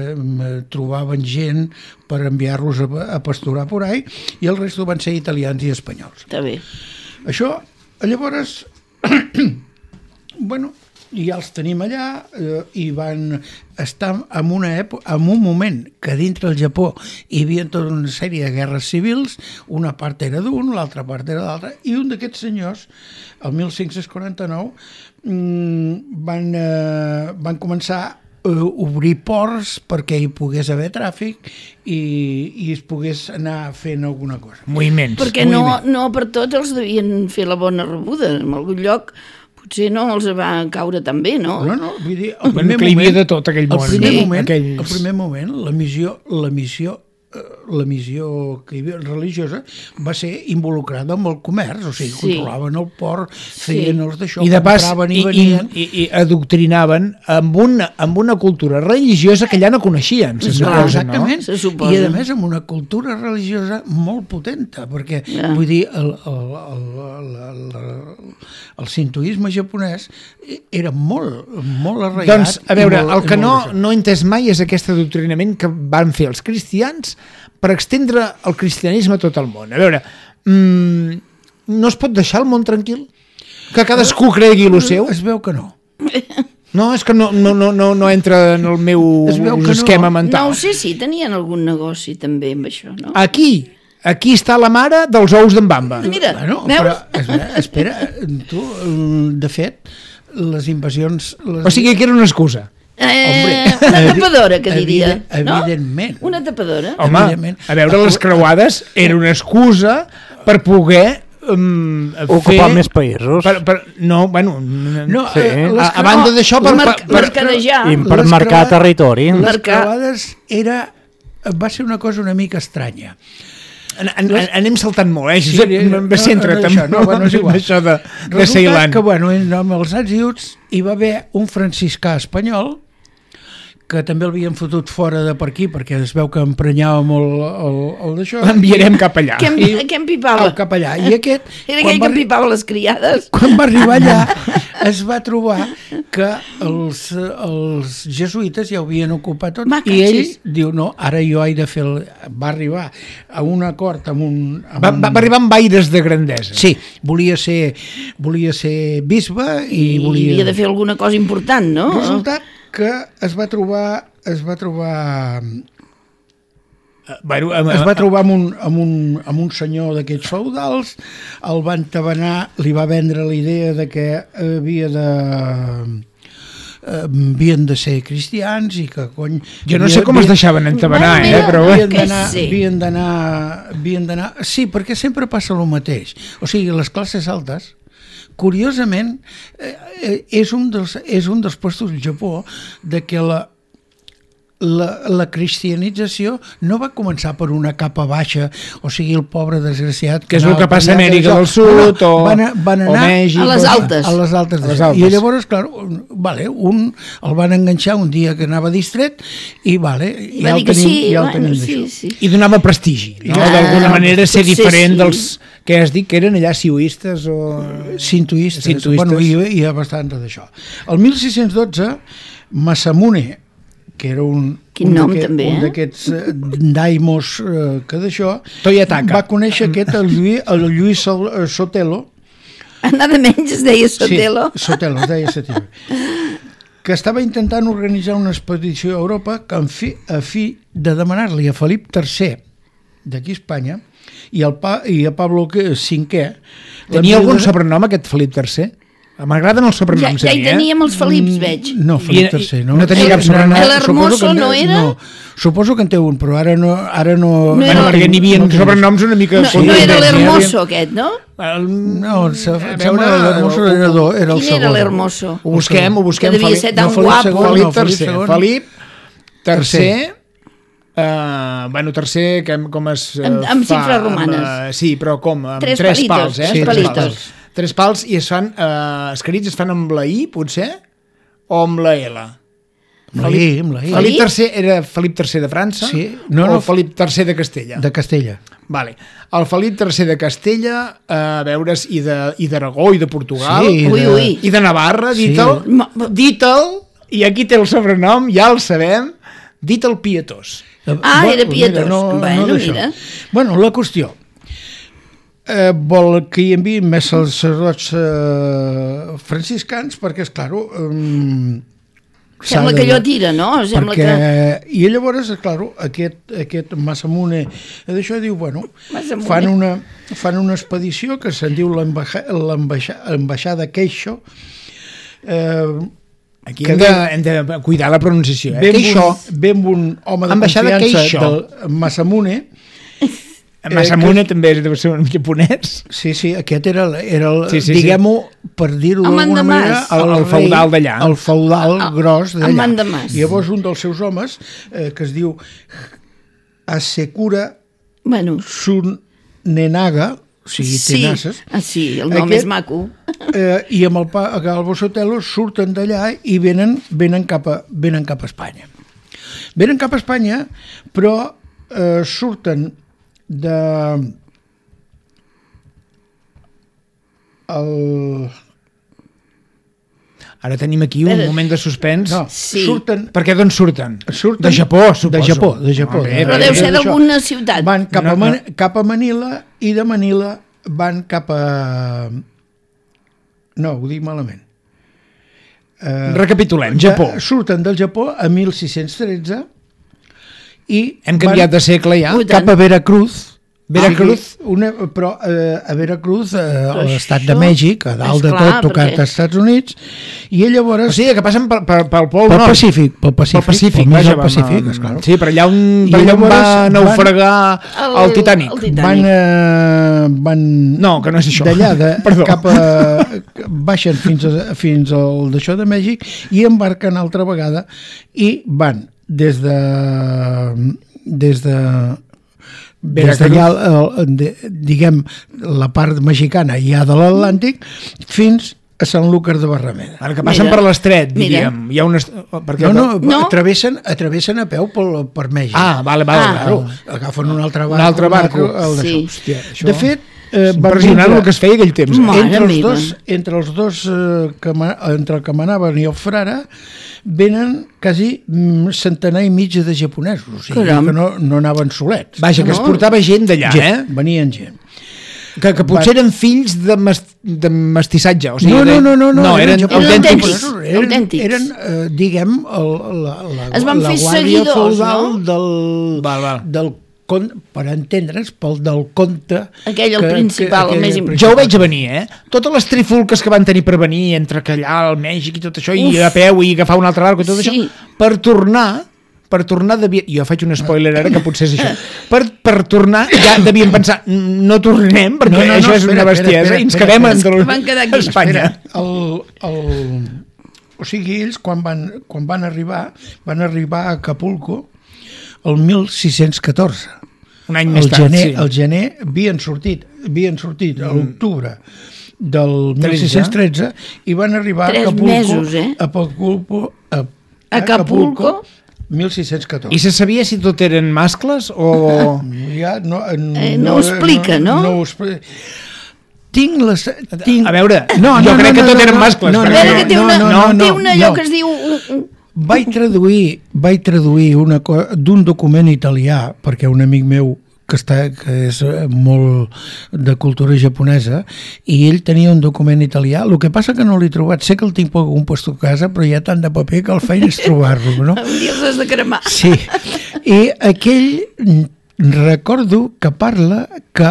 trobaven gent per enviar-los a pasturar por ahí, i el resto van ser italians i espanyols. Està bé. Això, llavors, bueno, ja els tenim allà i van estar en un moment que dintre el Japó hi havia tota una sèrie de guerres civils, una part era d'un, l'altra part era d'altra, i un d'aquests senyors, el 1549, van començar a obrir ports perquè hi pogués haver tràfic i es pogués anar fent alguna cosa. Moviments. Perquè no per tots els devien fer la bona rebuda. En algun lloc potser no els va caure tan bé, no? No, vull dir, el primer moment... Que hi havia de tot aquell món. El primer moment, la missió que hi havia religiosa va ser involucrada amb el comerç, o sigui, controlaven el port, feien els d'això, compraven i venien... I adoctrinaven amb una cultura religiosa que ja no coneixien, se suposa, exactament, no? I a més amb una cultura religiosa molt potenta, perquè, vull dir, el sintoisme japonès era molt arraigat. Doncs, a veure, el que no he entès mai és aquest adoctrinament que van fer els cristians per extendre el cristianisme a tot el món. A veure, no es pot deixar el món tranquil? Que cadascú cregui el seu? Es veu que no. No, és que no entra en el meu esquema mental. No ho sé, sí, tenien algun negoci també amb això, no? Aquí està la mare dels ous d'en Bamba. Mira, però, espera, tu, de fet, les invasions... O sigui que era una excusa. Una tapadora, que diria. Evidentment. Una tapadora. Home, a veure, les creuades era una excusa per poder ocupar més països. A banda d'això, per mercadejar. I per marcar territori. Les creuades va ser una cosa una mica estranya. Anem saltant molt, va ser entrat amb això de Ceilan. Resulta que, amb els àziuts hi va haver un franciscà espanyol que també l'havien fotut fora de per aquí, perquè es veu que emprenyava molt el d'això. L'enviarem cap allà. Què empipava? Cap allà. I aquest... Era aquell que empipava les criades. Quan va arribar allà, es va trobar que els jesuïtes ja ho havien ocupat tot, i ell diu, no, ara jo he de fer... Va arribar a un acord amb un... Va arribar amb aires de grandesa. Sí, volia ser bisbe i volia... I havia de fer alguna cosa important, no? Resultat que es va trobar amb un senyor d'aquests feudals, el va entabanar, li va vendre la idea de que havien de ser cristians i que cony... Jo no sé com es deixaven entabanar, però... Havien d'anar... Sí, perquè sempre passa el mateix. O sigui, les classes altes, curiosament, és un dels puestos del Japó de que la cristianització no va començar per una capa baixa, o sigui, el pobre desgraciat... Que és el que passa a Amèrica del Sud o Mèxic. A les altes. A les altes. I llavors, clar, un el van enganxar un dia que anava distret i ja el tenim d'això. I donava prestigi, no? D'alguna manera ser diferent dels... que has dit que eren allà sioistes o... Sintoistes. Bueno, hi ha bastant d'això. El 1612, Masamune, que era un d'aquests daimos que d'això, va conèixer el Lluís Sotelo, Anada menys es deia Sotelo. Sí, Sotelo, es deia Sotelo. Que estava intentant organitzar una expedició a Europa que a fi de demanar-li a Felip III d'aquí a Espanya i a Pablo V. Tenia algun sobrenom aquest Felip III? M'agraden els sobrenoms. Ja hi teníem els Felips, veig. No, Felip III, no. No tenia cap sobrenom. L'Hermoso no era? No, suposo que en té un, però ara no... Bueno, perquè n'hi havia sobrenoms una mica... No era l'Hermoso aquest, no? No, sembla que l'Hermoso era el segon. Quin era l'Hermoso? Ho busquem. Que devia ser tan guapo. Felip III... Bueno, tercer, com es fa... Amb xifres romanes. Sí, però com? Amb tres pals, eh? Tres palitos. Tres pals i es fan, escrits es fan amb la I, potser? O amb la L? Amb la I. Felip III era Felip III de França? Sí. O Felip III de Castella? De Castella. Vale. El Felip III de Castella, a veure's, i d'Aragó, i de Portugal, i de Navarra, dit-el, i aquí té el sobrenom, ja el sabem, dit-el pietós. Era pietós. Mira. Bueno, la qüestió. Vol que hi enviïn més sacerdots franciscans perquè, esclar, sembla que allò tira, no? I llavors, esclar, aquest Masamune d'això diu, bueno, fan una expedició que se'n diu l'ambaixada Queixo. Aquí hem de cuidar la pronunciació. Ve amb un home de confiança del Masamune. Masamune també deu ser un japonès. Sí, aquest era diguem-ho, per dir-ho d'alguna manera, el feudal d'allà. El feudal gros d'allà. El mandamàs. I llavors un dels seus homes, que es diu Hasekura Tsunenaga, o sigui, Tenasses. Sí, el nom és maco. I amb el Galbo Sotelo surten d'allà i venen cap a Espanya. Venen cap a Espanya, però surten Ara tenim aquí un moment de suspens. Surten... Per què d'on surten? De Japó, suposo. De Japó. Però deu ser d'alguna ciutat. Van cap a Manila i de Manila van cap a... No, ho dic malament. Recapitulem, Japó. Surten del Japó a 1613 i hem canviat de segle ja cap a Veracruz, però a Veracruz, a l'estat de Mèxic, a dalt de tot, tocat als Estats Units, i llavors... O sigui, que passen pel Pol Nord. Pel Pacífic, esclar. Sí, per allà on va naufragar el Titanic. No, que no és això. D'allà cap a... baixen fins al d'això de Mèxic i embarquen altra vegada i van des d'allà, diguem, la part mexicana ja de l'Atlàntic fins a Sant Lúcar de Barrameda. Ara que passen per l'estret, diríem. Hi ha travessen a peu per Mèxic. Vale. Agafen un altre barco. De fet, impressionant el que es feia aquell temps. Entre els dos, entre el que manaven i el frare, venen quasi centenar i mig de japonesos, o sigui que no anaven solets. Vaja, que es portava gent d'allà, venien gent. Que potser eren fills de mestissatge, o sigui... No, eren autèntics. Eren, diguem, la guàrdia feudal del per entendre'ns, pel del conte... Aquell, el principal, el més important. Jo ho veig a venir, Totes les trifulques que van tenir per venir entre allà al Mèxic i tot això, i a peu, i agafar un altre barco i tot això, per tornar jo faig un spoiler ara que potser és això, per tornar ja devien pensar no tornem perquè això és una bestiesa i ens quedem a Espanya. O sigui, ells quan van arribar a Acapulco el 1614. Un any més tard, el gener havien sortit a l'octubre del 1613 i van arribar a Acapulco 1614. I se sabia si tot eren mascles o... No ho explica, no? A veure, jo crec que tot eren mascles. A veure, que té una allò que es diu... Vaig traduir d'un document italià, perquè un amic meu que és molt de cultura japonesa, i ell tenia un document italià. El que passa que no l'he trobat, sé que el tinc per algun puesto a casa, però hi ha tant de paper que el feina és trobar-lo, no? Un dia els has de cremar. Sí, i aquell recordo que parla que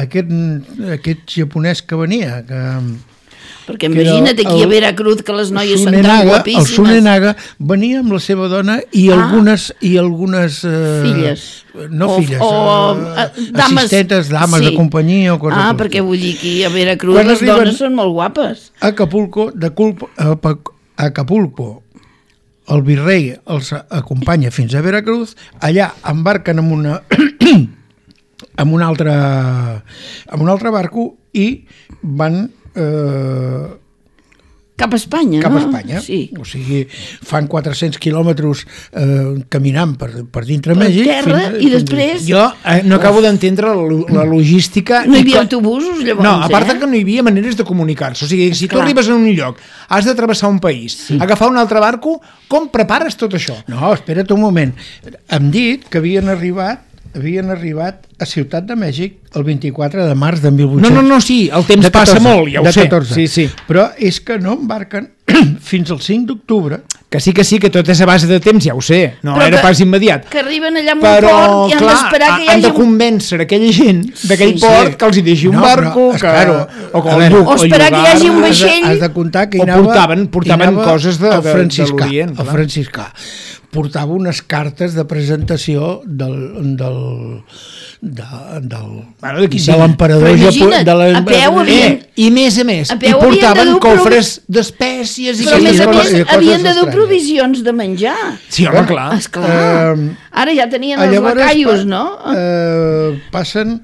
aquest japonès que venia, perquè imagina't aquí a Veracruz que les noies són tan guapíssimes. El Sunenaga venia amb la seva dona i algunes filles. No filles, dames, assistentes, dames de companyia o coses. Perquè vull dir que a Veracruz les dones són molt guapes. A Acapulco, el virrei els acompanya fins a Veracruz, allà embarquen amb un altre barco i van cap a Espanya, cap no? a Espanya. Sí. O sigui, fan 400 quilòmetres caminant per dintre Mèxic. Terra, i després... Jo no acabo d'entendre la logística... No hi havia autobusos, llavors, No, a part que no hi havia maneres de comunicar-se. O sigui, si tu arribes a un lloc, has de travessar un país, agafar un altre barco, com prepares tot això? No, espera't un moment. Hem dit que havien arribat a Ciutat de Mèxic el 24 de març de 1800. No, sí, el temps passa molt, ja ho sé. 14. Sí. Però és que no embarquen fins al 5 d'octubre. Que sí, que tot és a base de temps, ja ho sé. No però era pas immediat. Que arriben allà amb un port i han d'esperar que hi hagi... han de convèncer aquella gent d'aquell port que els hi deixi un barco, o esperar que hi hagi un vaixell. Has de comptar que hi portaven coses de l'Orient. El franciscà portava unes cartes de presentació de l'emperador a peu i més a més i portaven cofres d'espècies però a més a més havien de dur provisions de menjar. Sí, home, clar. Ara ja tenien els lacaios, no? Passen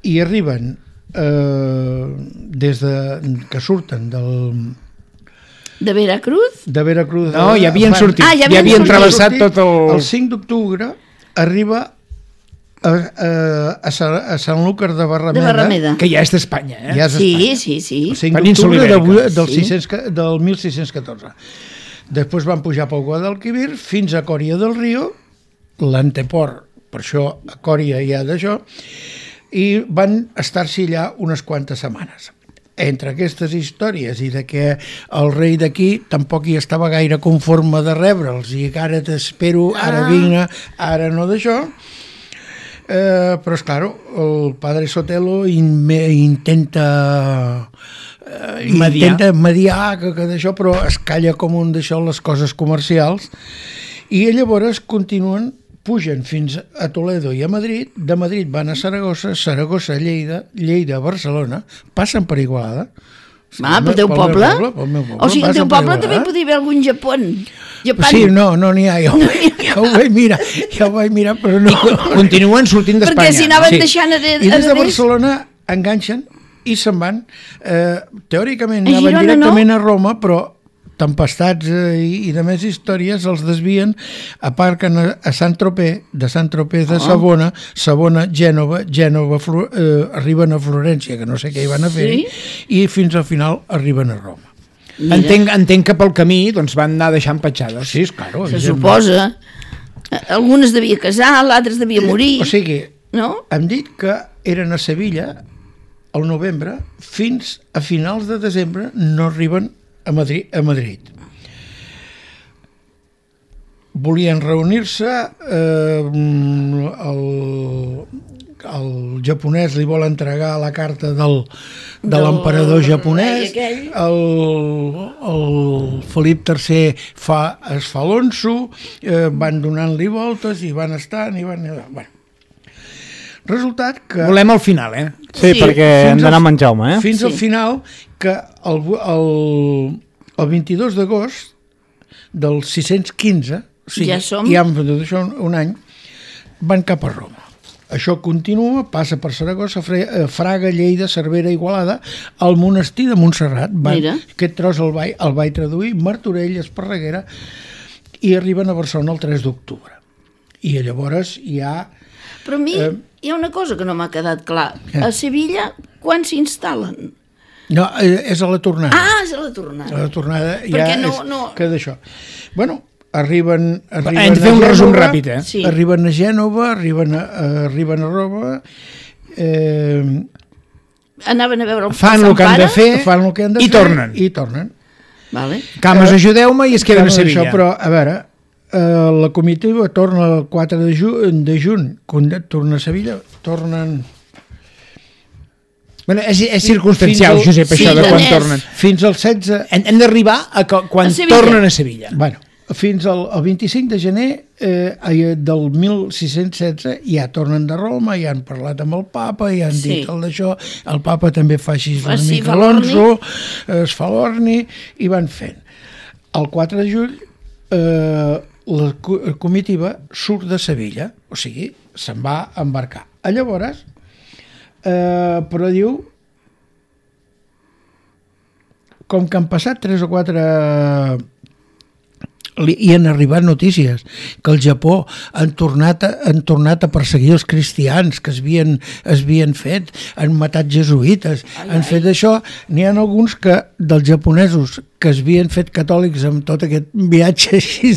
i arriben des que surten de Veracruz? De Veracruz. No, ja havien sortit. Ja havien travessat tot el... El 5 d'octubre arriba a Sant Lúcar de Barrameda. Que ja és d'Espanya, eh? Ja és d'Espanya. Sí. El 5 d'octubre del 1614. Després van pujar pel Guadalquivir fins a Coria del Río, l'anteport, per això a Coria hi ha d'això, i van estar-s'hi allà unes quantes setmanes. Entre aquestes històries i de que el rei d'aquí tampoc hi estava gaire conforme de rebre'ls i que ara t'espero, ara vinc, ara no d'això, però esclar, el padre Sotelo intenta mediar que d'això, però es calla com un d'això les coses comercials, i llavors continuen, pugen fins a Toledo i a Madrid, de Madrid van a Saragossa, Saragossa a Lleida, Lleida a Barcelona, passen per Igualada. Pel teu poble? O sigui, al teu poble també podria haver algun Japón. Sí, no n'hi ha, ja ho vaig mirar, però no. Continuen sortint d'Espanya. Perquè si anaven deixant a I des de Barcelona enganxen i se'n van. Teòricament anaven directament a Roma, però tempestats i de més històries els desvien, aparquen a Sant-Tropez, de Sant-Tropez de Savona, Gènova, arriben a Florència, que no sé què hi van a fer, i fins al final arriben a Roma. Entenc que pel camí van anar deixant petjades. Sí, claro. Se suposa. Algunes devia casar, l'altres devia morir. O sigui, hem dit que eren a Sevilla al novembre, fins a finals de desembre no arriben a Madrid. Volien reunir-se, el japonès li vol entregar la carta de l'emperador japonès, el Felip III es fa l'onso, van donant-li voltes i van estant i van... Bueno. Resultat que... Volem al final, Sí, perquè hem d'anar a Jaume, Fins al final, que el 22 d'agost del 615, o sigui, ja han fet això un any, van cap a Roma. Això continua, passa per Saragossa, Fraga, Lleida, Cervera, Igualada, al monestir de Montserrat. Aquest tros el vaig traduir, Martorell, Esparreguera, i arriben a Barcelona el 3 d'octubre. I llavors hi ha... Però a mi hi ha una cosa que no m'ha quedat clar. A Sevilla, quan s'instal·len? No, és a la tornada. És a la tornada. A la tornada ja és que d'això. Bueno, arriben Hem de fer un resum ràpid, Sí. Arriben a Gènova, arriben a Roma, Anaven a veure el fan Sant el que han de Pare. fer fan el que han de i fer tornen. i tornen. Vale. Cames, ajudeu-me i es queden a Això, Sevilla. però, a veure, la comitiva torna el 4 de juny, torna a Sevilla, tornen... Bueno, és circumstancial, Fins al- Josep, això Sí, de quan és. tornen. Fins al 16... Hem d'arribar a quan A Sevilla. tornen a Sevilla. Bueno, fins al 25 de gener del 1616 ja tornen de Roma, ja han parlat amb el papa, ja han dit el d'això, el papa també fa així una Sí, mica fa l'orni. l'onso, es fa l'orni i van fent. El 4 de juny la comitiva surt de Sevilla, o sigui, se'n va embarcar. Llavors, però diu, com que han passat 3 o 4 i han arribat notícies que al Japó han tornat a perseguir els cristians que es havien fet, han matat jesuïtes, han fet això. N'hi ha alguns que dels japonesos que es havien fet catòlics amb tot aquest viatge així,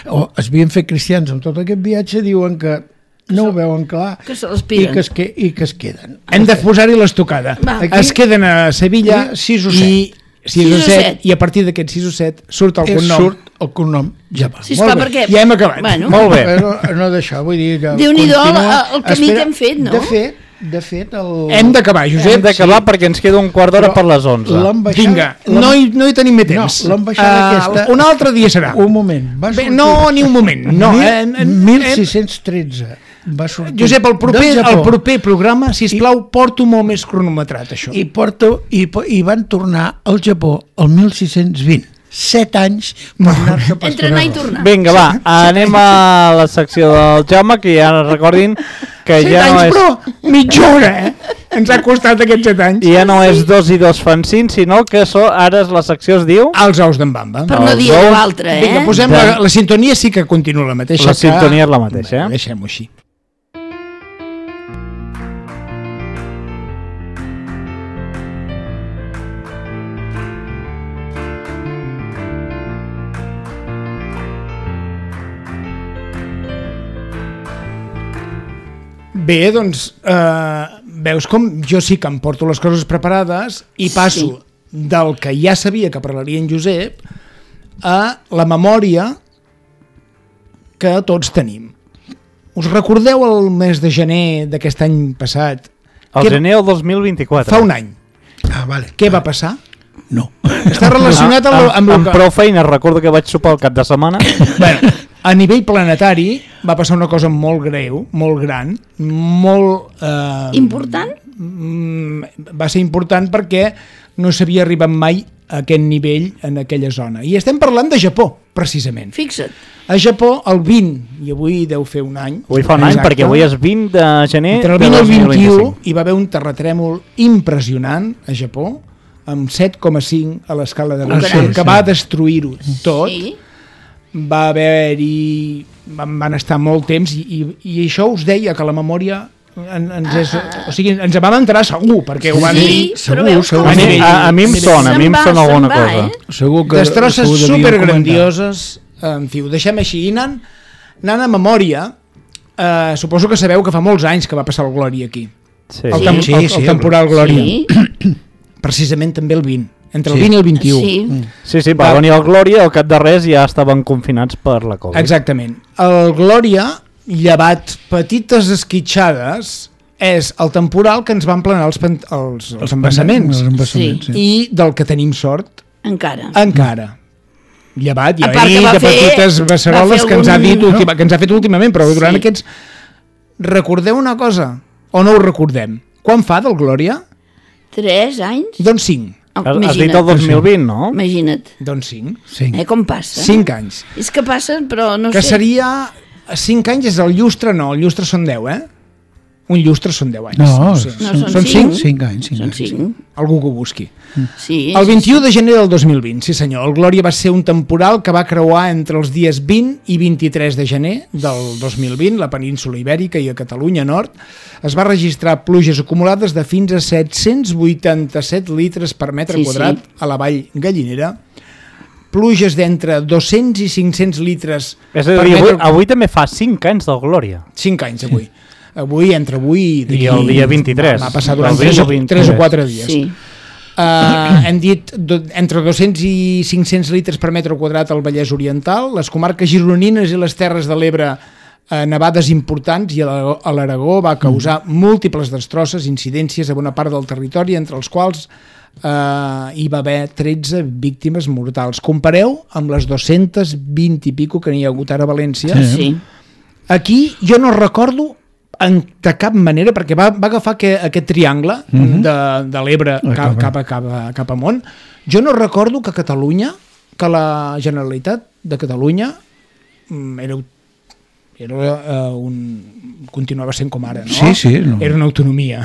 o es havien fet cristians amb tot aquest viatge, diuen que no ho veuen clar Que se l'aspiren. i que es queden. Hem de posar-hi l'estocada. Va. Es queden a Sevilla 6 o 6 o 7 i a partir d'aquests 6 o 7 surt el cognom. Surt el cognom Japó. Sí, esclar, Molt bé, perquè... ja hem acabat. Bueno, Molt bé. Però no d'això, vull dir que Déu-n'hi-do continua. el camí que hem fet, no? De fet Hem d'acabar, Josep. Hem d'acabar perquè ens queda un quart d'hora per les 11. Vinga, no hi tenim més temps. No, l'ambaixada aquesta... Un altre dia serà. Un moment. Va Bé, sortir... no, ni un moment. No, 1613 va sortir Josep, el del Japó. proper programa, sisplau, porto molt més cronometrat, això. I van tornar al Japó el 1620. 7 anys per anar-se a Entre anar i tornar. Vinga, va, anem a la secció del Jaume, que ja recordin que 7 ja no anys, és... però mitja hora, Ens ha costat aquests 7 anys. Ja no és 2 i 2 fan 5, sinó que ara la secció es diu... Els ous d'en Bamba. Per no dir ous. l'altre, Vinga, posem la sintonia, sí que continua la mateixa. La sintonia és la mateixa, Bé, deixem-ho així. Bé, doncs, veus com jo sí que em porto les coses preparades i passo del que ja sabia que parlaria en Josep a la memòria que tots tenim. Us recordeu el mes de gener d'aquest any passat? El gener del 2024. Fa un any. Ah, vale. Què va passar? No. Està relacionat amb prou feina, recordo que vaig sopar el cap de setmana. Bueno, a nivell planetari va passar una cosa molt greu, molt gran, molt... Important? Va ser important perquè no s'havia arribat mai a aquest nivell en aquella zona. I estem parlant de Japó, precisament. Fixa't. A Japó, el 20, i avui deu fer un any... Avui fa un any, perquè avui és 20 de gener entre el de 20 i el 2025. 21 hi va haver un terratrèmol impressionant a Japó, amb 7,5 a l'escala de Richter, que va destruir-ho tot. Sí. Va haver-hi... Van estar molt temps i això us deia que la memòria ens és... O sigui, ens vam entrar segur, perquè ho van dir... però veus com... A mi em sona alguna cosa. Segur que... Destrosses segur devien supergrandioses, en fi, ho deixem així. I anant a memòria, suposo que sabeu que fa molts anys que va passar el Glòria aquí. Sí. El temporal Glòria. Sí. Precisament també el 20. Entre el 20 i el 21. Sí, va venir el Glòria, al cap de res ja estaven confinats per la Covid. Exactament. El Glòria, llevat petites esquitxades, és el temporal que ens van planar els embassaments. Els embassaments, sí. I del que tenim sort, Encara. llevat, ja A part he que dit va de fer- petites beceroles va fer que ens ha dit algun- que ens ha fet últimament, però durant Sí. aquests... Recordeu una cosa, o no ho recordem? Quan fa del Glòria? 3 anys? Doncs 5. Has dit el 2020, no? Imagina't. Doncs 5. Sí. Com passa? 5 anys. És que passen, però no Que sé. seria... 5 anys és el llustre, no, el llustre són 10, Un llustre són 10 anys. No, sé. No, són són 5? 5 anys. Són 5. Algú que ho busqui. Sí, El 21 de gener del 2020, sí senyor, el Glòria va ser un temporal que va creuar entre els dies 20 i 23 de gener del 2020, la península Ibèrica i a Catalunya Nord. Es va registrar pluges acumulades de fins a 787 litres per metre quadrat a la vall Gallinera, pluges d'entre 200 i 500 litres És a dir, avui també fa 5 anys del Glòria. 5 anys avui. Entre avui i el dia 23. Va passar durant 3 o 4 dies. Sí. Hem dit entre 200 i 500 litres per metre quadrat al Vallès Oriental, les comarques gironines i les Terres de l'Ebre nevades importants, i a l'Aragó va causar múltiples destrosses, incidències a bona part del territori, entre els quals hi va haver 13 víctimes mortals. Compareu amb les 220 i pico que n'hi ha hagut ara a València. Sí. Aquí jo no recordo de cap manera, perquè va agafar aquest triangle de l'Ebre cap amunt. Jo no recordo que Catalunya, que la Generalitat de Catalunya continuava sent com ara, no? Sí. No. Era una autonomia.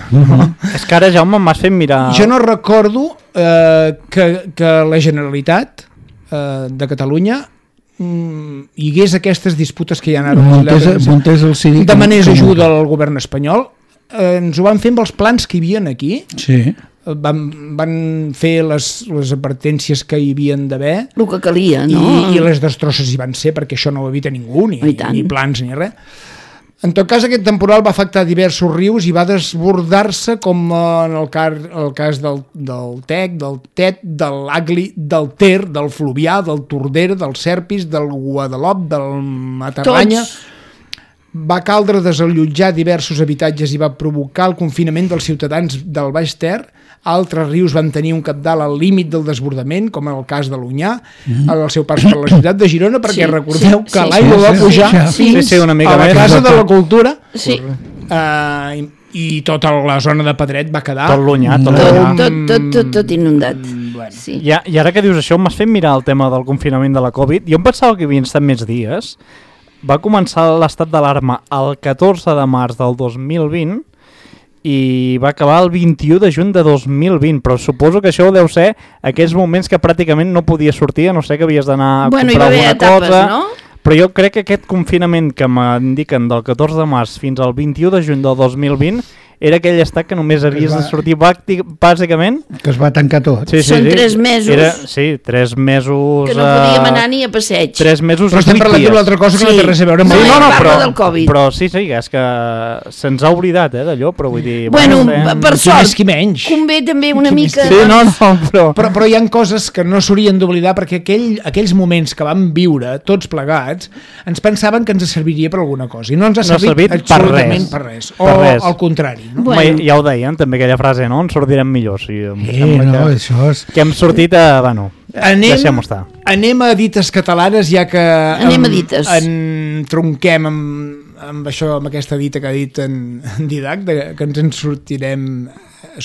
És que ara, Jaume, m'has fet mirar... Jo no recordo que la Generalitat de Catalunya hi hagués aquestes disputes que hi ha ara. Demanés ajuda al govern espanyol. Ens ho van fer amb els plans que hi havia aquí. Sí. Van fer les advertències que hi havien d'haver. El que calia, no? I les destrosses hi van ser, perquè això no ho evita ningú, ni plans ni res. En tot cas, aquest temporal va afectar diversos rius i va desbordar-se, com en el cas del Tec, del Tet, de l'Agli, del Ter, del Fluvià, del Tordera, del Serpis, del Guadalop, del Matarranya. Va caldre desallotjar diversos habitatges i va provocar el confinament dels ciutadans del Baix Ter. Altres rius van tenir un cabdal al límit del desbordament, com en el cas de l'Onyar, al seu pas per la ciutat de Girona, perquè recordeu que l'aigua va pujar una mica a la Casa de la Cultura, sí. I tota la zona de Pedret va quedar... Tot l'Onyar, tot inundat. Sí. I ara que dius això, m'has fet mirar el tema del confinament de la Covid. Jo em pensava que havien estat més dies. Va començar l'estat d'alarma el 14 de març del 2020 i va acabar el 21 de juny de 2020, però suposo que això deu ser aquells moments que pràcticament no podies sortir, a no ser que havies d'anar a comprar alguna cosa. No? Però jo crec que aquest confinament que m'indiquen del 14 de març fins al 21 de juny del 2020 era aquell estat que només havies de sortir bàsicament... Que es va tancar tot. Són 3 mesos. 3 mesos... Que no podíem anar ni a passeig. 3 mesos... Però estem parlant d'una altra cosa que no té res a veure amb... del Covid. Però sí, és que se'ns ha oblidat, d'allò, però vull dir... Bueno, per sort, convé també una mica... Sí, però hi ha coses que no s'haurien d'oblidar, perquè aquells moments que vam viure, tots plegats, ens pensaven que ens serviria per alguna cosa, i no ens ha servit absolutament per res. O al contrari. No? Bueno. Ja ho deien, també aquella frase, no? Ens sortirem millor. Sí, això és... Que hem sortit a... Bueno, deixem-ho estar. Anem a dites catalanes, ja que tronquem amb això, amb aquesta dita que ha dit en Didac, que ens en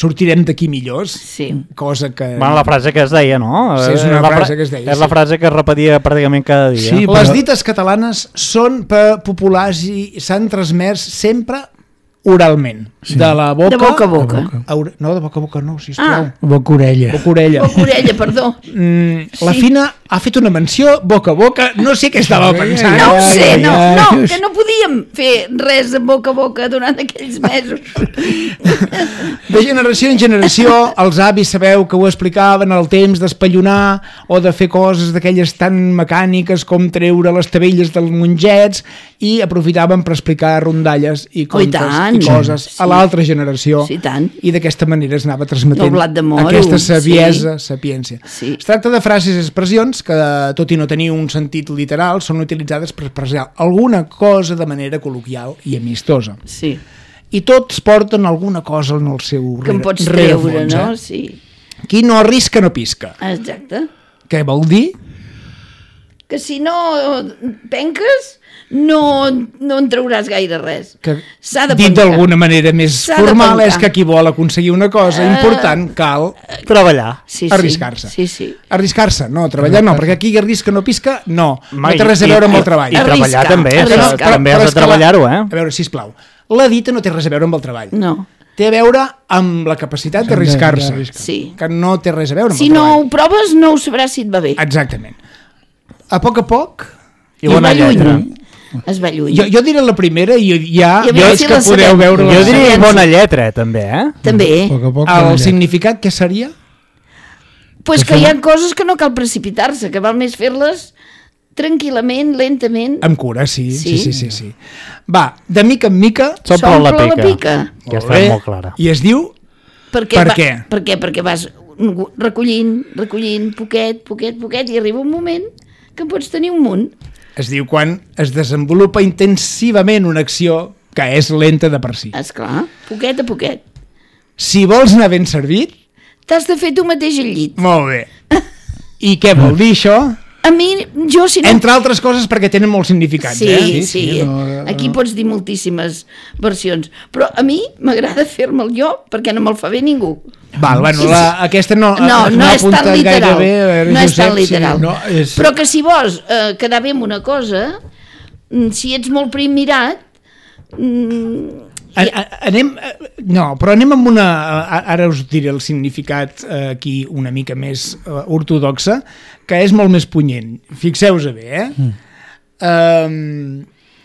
sortirem d'aquí millors. Sí. Cosa que... Bueno, la frase que es deia, no? Sí, és una frase que es deia. És la frase que es repetia pràcticament cada dia. Sí, però... Les dites catalanes són populars i s'han transmès sempre oralment, de la boca... De boca a boca. No, de boca a boca no, sisplau. Boca-orella. Boca-orella, perdó. La Fina ha fet una menció boca a boca, no sé què estava pensant. No ho sé, que no podíem fer res de boca a boca durant aquells mesos. De generació en generació, els avis sabeu que ho explicaven el temps d'espallonar o de fer coses d'aquelles tan mecàniques com treure les tabelles dels monjets, i aprofitaven per explicar rondalles i contes i coses a l'altra generació, i d'aquesta manera es anava transmetent aquesta sapiència. Es tracta de frases i expressions que, tot i no tenir un sentit literal, són utilitzades per expressar alguna cosa de manera col·loquial i amistosa. Sí. I tots porten alguna cosa en el seu que em pots treure, no? Sí. Qui no arrisca no pisca. Exacte. Què vol dir? Que si no penques no en trauràs gaire res. Dit d'alguna manera més formal, és que qui vol aconseguir una cosa important cal treballar, arriscar-se. Sí. Arriscar-se, no, treballar no, perquè aquí arrisca no pisca, no té res a veure amb el treball. I treballar també, també has de treballar-ho, A veure, sisplau, la dita no té res a veure amb el treball. No. Té a veure amb la capacitat d'arriscar-se, que no té res a veure amb el treball. Si no ho proves, no ho sabràs si et va bé. Exactament. A poc i bona lletra. Es va lluny. Jo diré la primera i ja veig que podeu veure... Jo diria bona lletra, també, També. El significat què seria? Pues que hi ha coses que no cal precipitar-se, que val més fer-les tranquil·lament, lentament. Amb cura, sí. Va, de mica en mica... S'omple la pica. Que Molt està bé. molt clara. I es diu... Per què? Perquè vas recollint, poquet, i arriba un moment que en pots tenir un munt. Es diu quan es desenvolupa intensivament una acció que és lenta de per si. Esclar, poquet a poquet. Si vols anar ben servit... T'has de fer tu mateix al llit. Molt bé. I què vol dir això? A mi, jo si no... Entre altres coses perquè tenen molts significats, Sí. Aquí pots dir moltíssimes versions. Però a mi m'agrada fer-me'l jo perquè no me'l fa bé ningú. Val, bueno, aquesta no és tan literal. Veure, no és tan Josep, literal. sí. No, és- Però que si vols quedar bé amb una cosa, si ets molt prim mirat, anem amb una... Ara us diré el significat aquí una mica més ortodoxa, que és molt més punyent. Fixeu-vos bé,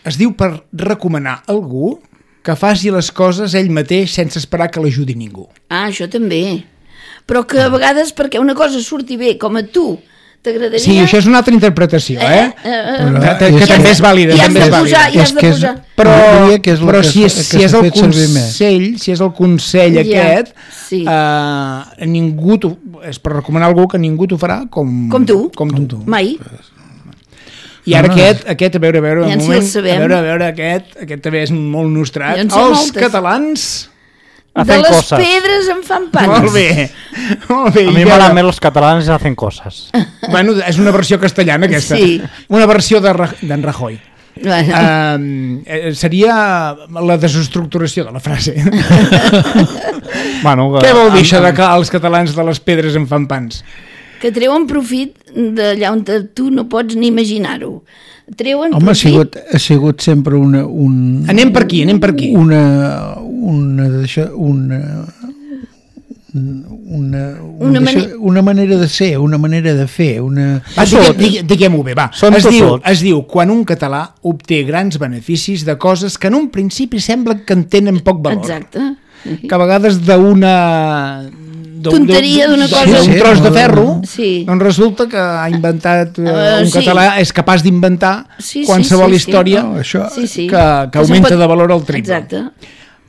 es diu per recomanar algú que faci les coses ell mateix sense esperar que l'ajudi ningú. això també. Però que a vegades perquè una cosa surti bé com a tu t'agradaria... Sí, això és una altra interpretació, que també és vàlida. I has també de és posar, vàlida. i has de posar. Però si és el consell Ja, aquest, sí. ningú és per recomanar algú que ningú t'ho farà com tu. Mai. I ara aquest, a veure, Ja un si moment, el sabem. a veure, aquest també és molt nostrat. Ja en sé Els moltes. catalans... De les pedres en fan pans. Molt bé. A mi m'agraden més els catalans hacen coses. Bueno, és una versió castellana aquesta. Sí. Una versió d'en Rajoy. Seria la desestructuració de la frase. Què vol dir això de que els catalans de les pedres en fan pans? Que treuen profit d'allà on tu no pots ni imaginar-ho. Treuen Home, profit... ha sigut sempre una... Anem per aquí. Una manera de ser, una manera de fer, una... Diguem-ho bé, va. Es diu quan un català obté grans beneficis de coses que en un principi sembla que en tenen poc valor. Exacte. Que a vegades d'una... tonteria d'una cosa... Un tros de ferro, sí. doncs resulta que ha inventat un català, és capaç d'inventar qualsevol història que augmenta de valor al triple. Exacte.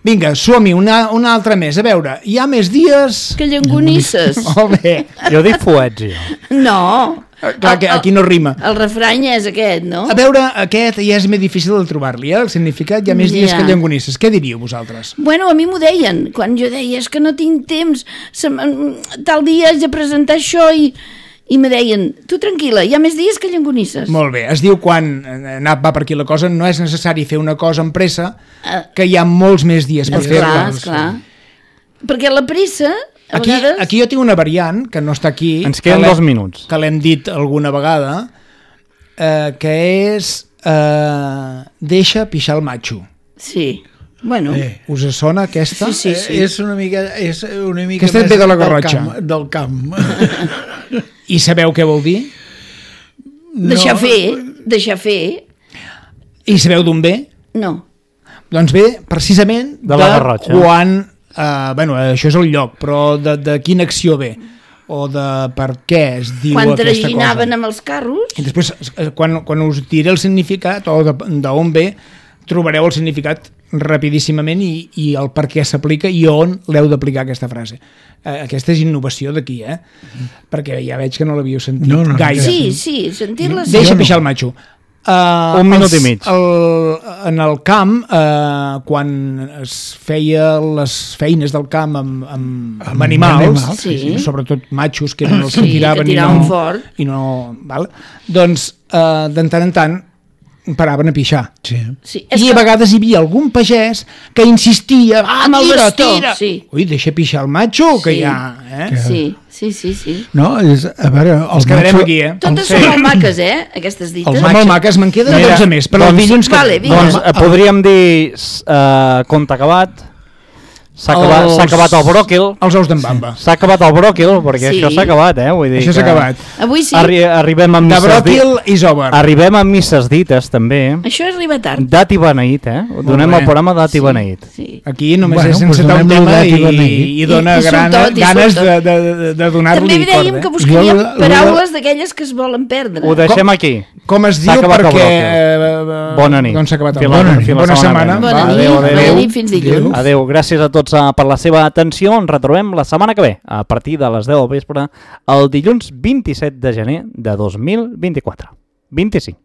Vinga, som-hi, una altra més. A veure, hi ha més dies... Que llengonisses. Molt bé. Jo dic fuets, jo. No. Clar, que aquí no rima. El refrany és aquest, no? A veure, aquest ja és més difícil de trobar-li, el significat. Hi ha més dies que llengonisses. Què diríeu vosaltres? Bueno, a mi m'ho deien. Quan jo deia, és que no tinc temps, tal dia haig de presentar això i me deien, tu tranquil·la, hi ha més dies que llengonisses. Molt bé, es diu quan va per aquí la cosa, no és necessari fer una cosa amb pressa, que hi ha molts més dies per fer-la. Esclar. Perquè la pressa, a vegades... Aquí jo tinc una variant, que no està aquí... Ens queden 2 minuts. Que l'hem dit alguna vegada, que és deixa pixar el matxo. Sí. Bueno. Us sona aquesta? Sí. És una mica aquesta ve de la Garrotxa. Del camp. I sabeu què vol dir? Deixar fer. I sabeu d'on ve? No. Doncs ve precisament de la Garrotxa. Quan... això és el lloc, però de quina acció ve? O de per què es diu quan aquesta cosa? Quan traginaven amb els carros. I després, quan us diré el significat, o d'on ve, trobareu el significat rapidíssimament i el per què s'aplica i on l'heu d'aplicar aquesta frase. Aquesta és innovació d'aquí, perquè ja veig que no l'havíeu sentit gaire. Sí, sentir-la... Deixa pixar el matxo. 1 minut i mig. En el camp, quan es feia les feines del camp amb animals, sobretot matxos, que eren els que tiraven fort, doncs de tant en tant paraven a pixar. Sí. I a vegades hi havia algun pagès que insistia, amb el bastó, tira. Ui, deixa pixar el matxo, que hi ha... Sí. No, a veure... Els quedarem aquí, Totes són molt maques, aquestes dites. Són molt maques, me'n queden 12 més, però el dilluns... Doncs podríem dir compte acabat, S'ha acabat el bròquil. Els ous d'en Bamba. S'ha acabat el bròquil, perquè això s'ha acabat, Vull dir això s'ha acabat. Avui sí. Arribem amb De misses bròquil i sober. Arribem amb misses dites, també. Això arriba tard. Dat i beneït, Donem bé. el programa Dat i beneït. Sí. Aquí només Bueno, és doncs encetar un donem-lo tema dat i beneït. i dona I surt tot, i ganes surt tot. de donar-li També dèiem que corda. buscaríem Jo- paraules d'aquelles que es volen perdre. Ho deixem aquí. Com es S'ha diu acabat el perquè... Bona nit. Doncs s'ha acabat el Fins la- Bona nit. fins la Bona setmana setmana. que ve. Bona nit, Adéu, adéu. bona nit, fins dilluns. Adéu, gràcies a tots per la seva atenció. Ens retrobem la setmana que ve, a partir de les 10 del vespre, el dilluns 27 de gener de 2024. 25.